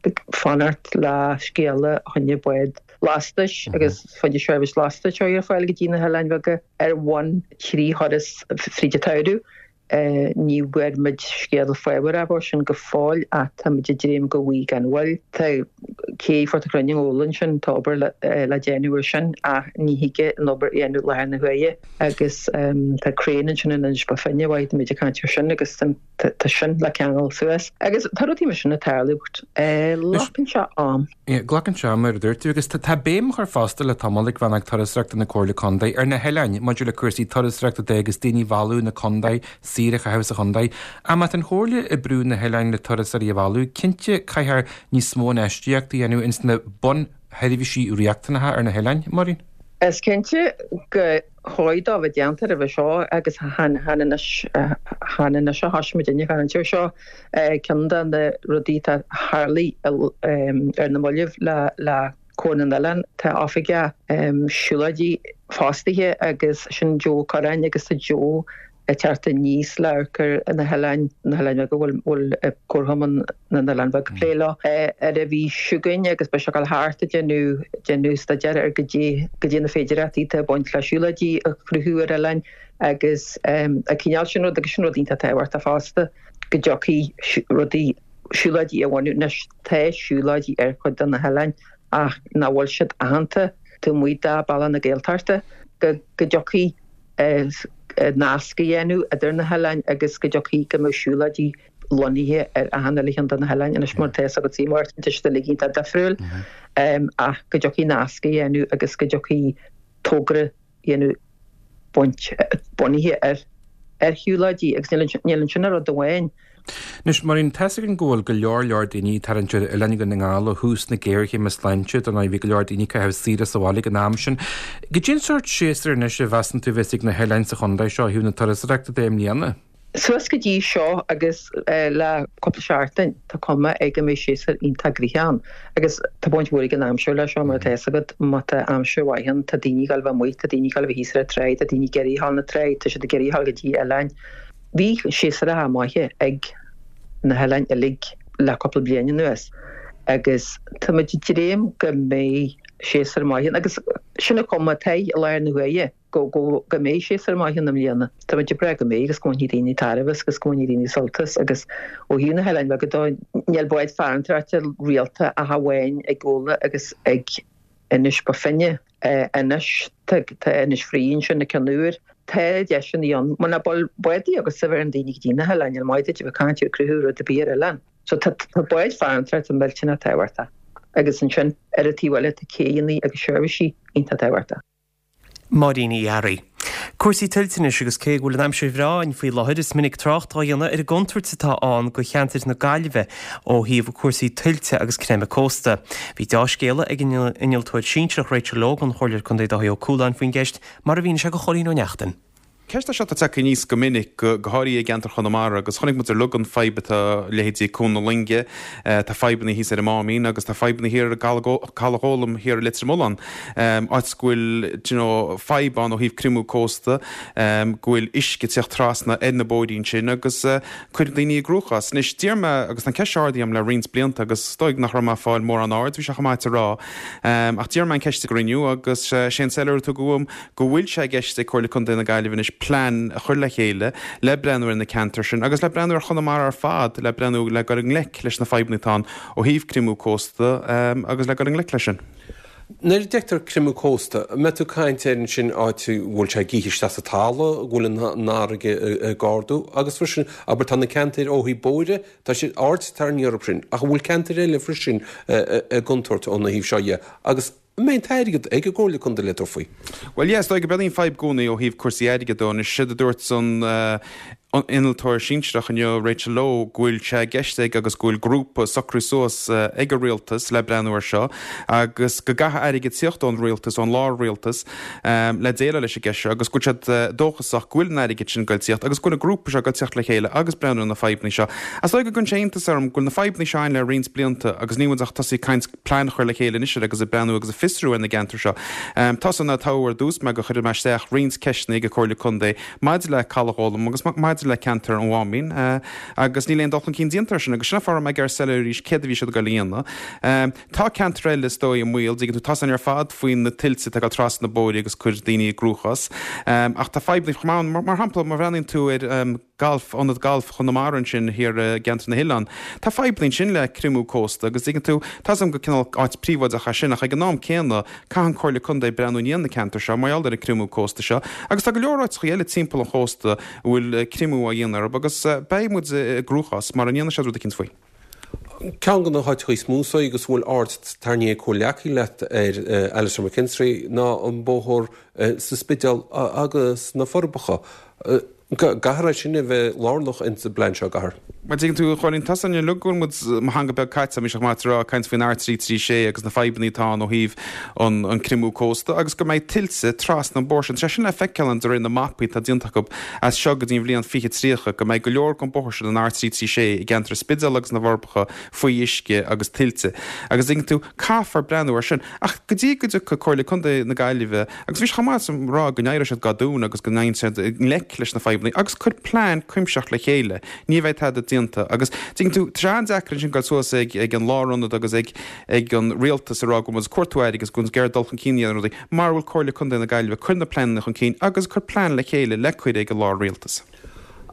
ag fanacht le scéala fá choinne bád lastais agus fá choinne seirbhís lastais a chur ar fáil go dtí na hoileáin bheaga ar bhonn trí thuras fríd an tsamhradh. Ní bhfuair muid scéala fábharach air sin go fóill ach tá muid ag dréim go bhfaighidh gan mhoill. Tá cé Phort an Chruinn an Ghabhla ansin, tá obair le déanamh air sin ach ní thig an obair a dhéanamh i láthair na huaire agus tá craein ansin in Inis Bó Finne, mhaith, tá muid ag caint air sin agus Tá sin le ceangal suas. Agus tá rudaí mar sin ag tarlú but glacann sé am. Glacann sé am mar a dúirt tú agus tá béim á chur fosta le tamall ag Rannóg Turasóireachta na Comhairle Contae ar na hoileáin maidir le cúrsaí turasóireachta de agus daoine a mhealladh na contae, saoire a chaitheamh sa chontae. Ach má tá an Chomhairle ag brú na hoileáin le turasóirí a mhealladh, cinnte caithfear níos mó infheistíochta a dhéanamh ins na bunsheirbhísí riachtanacha ar na hoileáin, Máirín. Is cinnte gur chóir dó bheith déanta roimhe seo agus chan anois chan anois a thosaigh muid ag caint air seo. Ceann de na rudaí atá tharlaigh ar na mallaibh le le Comhar na nOileán, tá oifigeach siúlóidí fostaithe agus sin Joe Ó Curráin agus tá Joe ag teacht aníos le amharc ar na hoileáin, na hoileáin bheaga a bhfuil bhfuil Comharchumann na nOileán Beag ag plé leo, ar an mhí seo chugainn agus beidh sé ag dul thart ag déanamh déanamh staidéir ar goidé goidé na féidireachtaí atá ag baint le siúlóidí a chruthú ar oileáin agus an cineál sin rud agus sin rud iontach tábhachtach fosta go dtiocfaidh rudaí siúlóidí a bhunú. Anois tá siúlóidí ar chuid de na hoileáin ach nach bhfuil siad aitheanta taobh amuigh de Bealach na Gaeltachta go go dtiocfaidh nasc a dhéanamh idir na hoileáin agus go dtiocfaidh go mbeadh siúlóidí lonnaithe ar achan uile cheann de na hoileáin. Anois mar atá 'fhios agat Máirtín, tá siad uilig iontach difriúil ach go dtiocfaidh nasc a dhéanamh agus go dtiocfaidh togra a dhéanamh baint bunaithe ar ar shiúlóidí agus níl ansin ach rud amháin. Anois, Máirín, tá's againn go bhfuil go leor leor daoine ag tarraingt ar oileáin Dhún na nGall ó thús na géarchéime sláinte, dar ndóigh bhí go leor daoine ag caitheamh saoire sa bhaile ag an am sin. Goidé an sórt séasúr anois a mheasann tú a bheas ag na hoileáin sa chontae seo ó thaobh na turasóireachta de i mbliana? Suas go dtí seo agus le cúpla seachtain tá cuma ag go mbeidh séasúr iontach gnoitheach ann agus tá baint mhór ag an aimsir leis seo mar atá 'fhios agat, má tá aimsir mhaith ann tá daoine ag dul a bheith amuigh, tá daoine ag dul a bheith thíos ar an tráigh, tá daoine ag iarraidh a ghabháil na tráigh, tá siad ag iarraidh a ghabháil go dtí oileáin. Bhí séasúracha maithe ag na hoileáin uilig le cúpla bliain anuas agus tá muid ag dréim go mbeidh séasúr maith ann agus sin an chuma atá i láthair na huaire, go go mbeidh séasúr maith ann i mbliana. Tá muid ag brath go mbeidh agus go mbainfidh daoine tairbhe as agus go mbainfidh daoine sult as agus ó thaobh na hoileáin bheaga de, níl báid farantóireachta rialta ach amháin ag Gabhla agus ag Inis Bó Finne. Anois tá Inis Fraoigh ansin ag Ceann Iúir. Tá deiseanna ann. Muna bhfuil bádaí agat a bheireann daoine go dtí na hoileáin, níl maith duit a bheith ag caint ar cruthú rud ar bith ar oileán. So tá báid farantóireachta millteanach tábhachtach. Agus ansin ar an taobh eile tá céidheanna agus seirbhísí iontach tábhachtach. Máirín Uí Fhearraigh. Cúrsaí tuilte anois agus cé go bhfuil an aimsir bhreá againn faoi láthair is minic trácht á dhéanamh ar an gcontúirt atá ann do cheantar na Gaillimhe ó thaobh cúrsaí tuilte agus creimeadh cósta. Bhí deá-scéala ag an innealtóir sinsearach Rachel Logue ón Chomhairleoir Contae Dáithí Ó Cualáin faoin gceist mar a mhínigh sé do Chóilín Ó Neachtain. Ceist é seo atá tagtha aníos go minic, go háirithe i gceantar Chonamara, agus chonaic muid uilig an fadhb atá leithéidí Cuan na Loinge, tá fadhbanna thíos ar an Máimín agus tá fadhbanna thiar i gCaladh Gólaim thiar i Leitir Mealláin, áit go bhfuil d'you know fadhb ann ó thaobh creimeadh cósta, go bhfuil uisce ag teacht trasna ar na bóithrí ansin agus cuireann daoine i gcruachás. Anois, d'iarr mé, agus tá an ceist seo ardaithe agam le roinnt blianta agus is dóigh nach raibh mé ag fáil mórán aird, bhí sé chomh maith a rá, ach d'iarr mé an ceist ag an gcruinniú agus sé an soiléiriú a tugadh uaim go bhfuil sé i gceist ag Comhairle Contae na Gaillimhe anois plean a chur le chéile le breathnú ar na ceantair sin agus le breathnú ar Chonamara ar fad, le breathnú le dul i ngleic leis na fadhbanna atá ann ó thaobh creimeadh cósta agus le dul i ngleic leis sin. Nuair a deirtear creimeadh cósta, an mbeidh tú ag caint ar ansin áit a bhfuil sé ag ithe isteach sa talamh, go bhfuil an fharraige ag ardú agus freisin, abair, tá na ceantair ó thaobh bóithre, tá siad aird tarraingthe orthu sin, ach an bhfuil ceantair eile freisin i gcontúirt óna thaobh seo dhe agus An mbeidh an t-airgead ag an gComhairle Contae le tabhairt faoi? Bhuel, yeah, is dóigh go mbeidh an fadhb i gcónaí ó thaobh cúrsaí airgid de. Anois, séard a dúirt an innealtóir sinsearach inniu, Rachel Lowe, go bhfuil sé i gceist ag agus go bhfuil grúpa socraithe suas ag an rialtas le breathnú air seo agus go gcaithfidh airgead tíocht ón rialtas, ón lár-rialtas, le déileáil leis an gceist seo agus go bhfuil siad dóchasach go bhfuil an airgead sin ag goil tíocht agus go bhfuil an grúpa seo ag goil tíocht le chéile agus breathnú ar na fadhbanna seo. Is dóigh go gcuireann sé iontas orm go bhfuil na fadhbanna seo ann le roinnt blianta agus níl muid ach tosaí ag caint plean a chur le chéile anois agus ag breathnú agus ag fiosrú ar na gceantair seo. Tá san toghadh ar dtús mé gur chuir mé isteach roinnt ceisteanna ag an Comhairle Contae maidir le Caladh Ghólam agus maidir le ceantar an Mháimín agus níl aon dul chun cinn déanta air sin agus sin an fáth a raibh mé ag iarraidh soiléiriú arís céard a bhí siad ag dul a dhéanamh. Tá ceantair eile is dóigh i mbaol, dtuigeann tú, tá san ar fad faoi na tuilte atá ag dul trasna na bóithre agus cur daoine i gcruachás. Ach tá fadhbanna chomh maith ann, mar shampla má bhreathnaíonn tú ar galf, ionad gailf Chonamara ansin thiar i gceantar na hOileán. Tá fadhbanna ansin le creimeadh cósta agus tuigeann tú, tá 's agam gur cineál áit príobháideach é sin ach ag an am céanna caithfidh an Comhairle Contae breathnú i ndiaidh na ceantar seo mar gheall ar an creimeadh cósta seo agus tá go leor áiteachaí eile timpeall an chósta a bhfuil creimeadh á dhéanamh orthu agus beidh muid i gcruachás mara ndéanfaidh siad rud eicínt faoi. Ceann de na háiteacha is mó so agus a bhfuil aird tarraingthe ag comhghleacaí leat ar Alastair McKinstry ná an bóthar sa Spidéal agus na Forbacha. Caithfear é sin a bheith lárnach ins an bplean seo, an gcaithfear? Bhuel, tuigeann tú, a Chóilín, tá san uilig go bhfuil muid, mo theanga beag caite, bhí sé chomh maith a rá, ag caint faoin R trí trí sé agus na fadhbanna atá ann ó thaobh an an creimeadh cósta agus go mbeidh tuilte trasna an bóthar sin. Tá sé sin le feiceáil ann de réir na mapaí atá déanta acu as seo go dtí an bhliain fiche tríocha, go mbeidh go leor den bóthar sin, an R trí trí sé, i gceantar an Spidéil agus na bhForbacha faoi uisce agus tuilte. Agus tuigeann tú, caithfear breathnú air sin. Ach go dtí go dtiocfaidh Comhairle Contae na Gaillimhe, Agus bhí sé chomh maith a rá go n-éireoidh siad go domhain agus go ndéanfaidh siad i ngleic leis na fadhbanna agus cur plean cuimsitheach le chéile. Ní bheidh tada déanta. Agus tuigeann tú, tá sé an-deacair ansin dul suas ag ag an lárionad agus ag ag an rialtas a rá go bhfuil muid ag cuartú airgid agus go bhfuil muid ag iarraidh dul chun cinn a dhéanamh ar rudaí mara bhfuil Comhairle Contae na Gaillimhe ag cur na pleananna chun cinn agus ag cur plean le chéile le cur ag an lár-rialtas.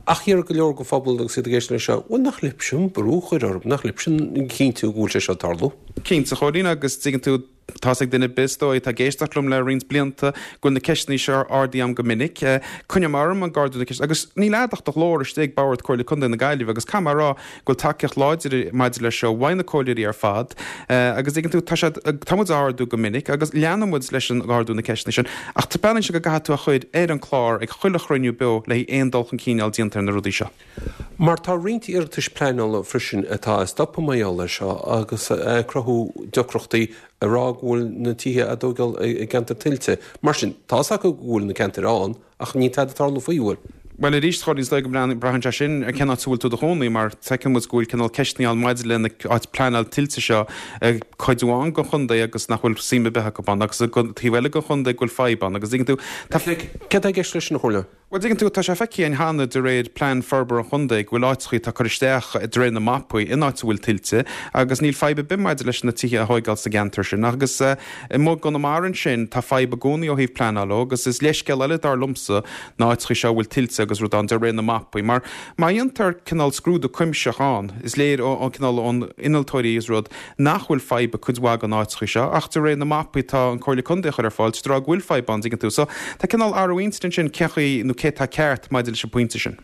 Ach déarfadh go leor den phobal agus iad ag éisteacht leis seo, bhuel nach libhse an brú a chur orthu, nach libhse cinntiú go bhfuil sé seo ag tarlú? Cinnte, a Chóilín, agus tuigeann tú, Tá's ag duine ar bith, is dóigh, atá ag éisteacht liom le roinnt blianta, go bhfuil na ceisteanna seo ardaithe agam go minic. Coinním orm ag ardú na ceiste agus níl a'd ach do ghlór istigh ag Bord Comhairle Contae na Gaillimhe agus caithfidh mé a rá go bhfuil tacaíocht láidir maidir leis seo uaidh na comhairleoirí ar fad agus tuigeann tú, tá siad, tá muid á ardú go minic agus leanfaidh muid leis an ardú na ceisteanna sin ach taispeánann sé go gcaithfidh tú a chur ar an chlár ag chuile chruinniú beo le haghaidh aon dul chun cinn a fháil déanta ar na rudaí seo. Mar tá roinnt iarratais pleanála freisin atá stoptha mar gheall air seo agus ag cruthú deacrachtaí ag rá go bhfuil na tithe á dtógáil i gceantar tuilte. Mar sin, tá's acu go bhfuil na ceantair ann ach níl tada ag tarlú faoi, bhfuil? Bhuel arís, a Chóilín, is dóigh go mbraitheann sé sin ar cén áit a bhfuil tú i do chónaí mar feiceann muid go bhfuil cineál ceisteanna ann maidir le na áit pleanáil tuilte seo i cuid amháin den chontae agus nach bhfuil suim ar bith acu ann agus i dtaobh eile den chontae go bhfuil fadhb ann agus tuigeann tú, tá. Céard atá i gceist leis sin, a Chóilín? Bhuel, tuigeann tú, tá sé feicthe againn cheana de réir plean forbartha an chontae go bhfuil áiteachaí atá curtha isteach de réir na mapaí in áit a bhfuil tuilte agus níl fadhb ar bith maidir leis na tithe a thóigeáil sa gceantar sin agus amuigh i gConamara ansin tá fadhb i gcónaí ó thaobh pleanáil ó agus is leithscéal eile dar liomsa na áiteachaí seo a bhfuil tuilte agus rud ann de réir na mapaí mar má dhéantar cineál scrúdú cuimsitheach ann is léir ó cineál ón innealtóirí is rud nach bhfuil fadhb i cuid mhaith den áiteachaí seo ach de réir na mapaí atá an Comhairle Contae a chur ar fáil tá siad ag rá go bhfuil fadhb ann dtuigeann tú. So tá cineál athrú intinne ansin cén chaoi nó cé atá ceart maidir leis an bpointe sin.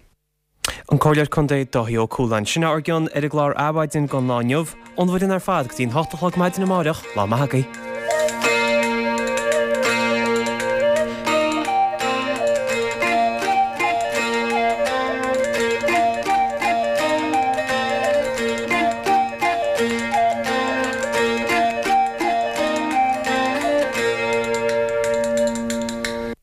An Comhairleoir Contae Dáithí Ó Cualáin. Sin ár gcion ar an gclár Adhmhaidin don lá inniu. Ón bhfoireann ar fad go dtí an hocht a chlog maidin amáireach, lá maith agaibh.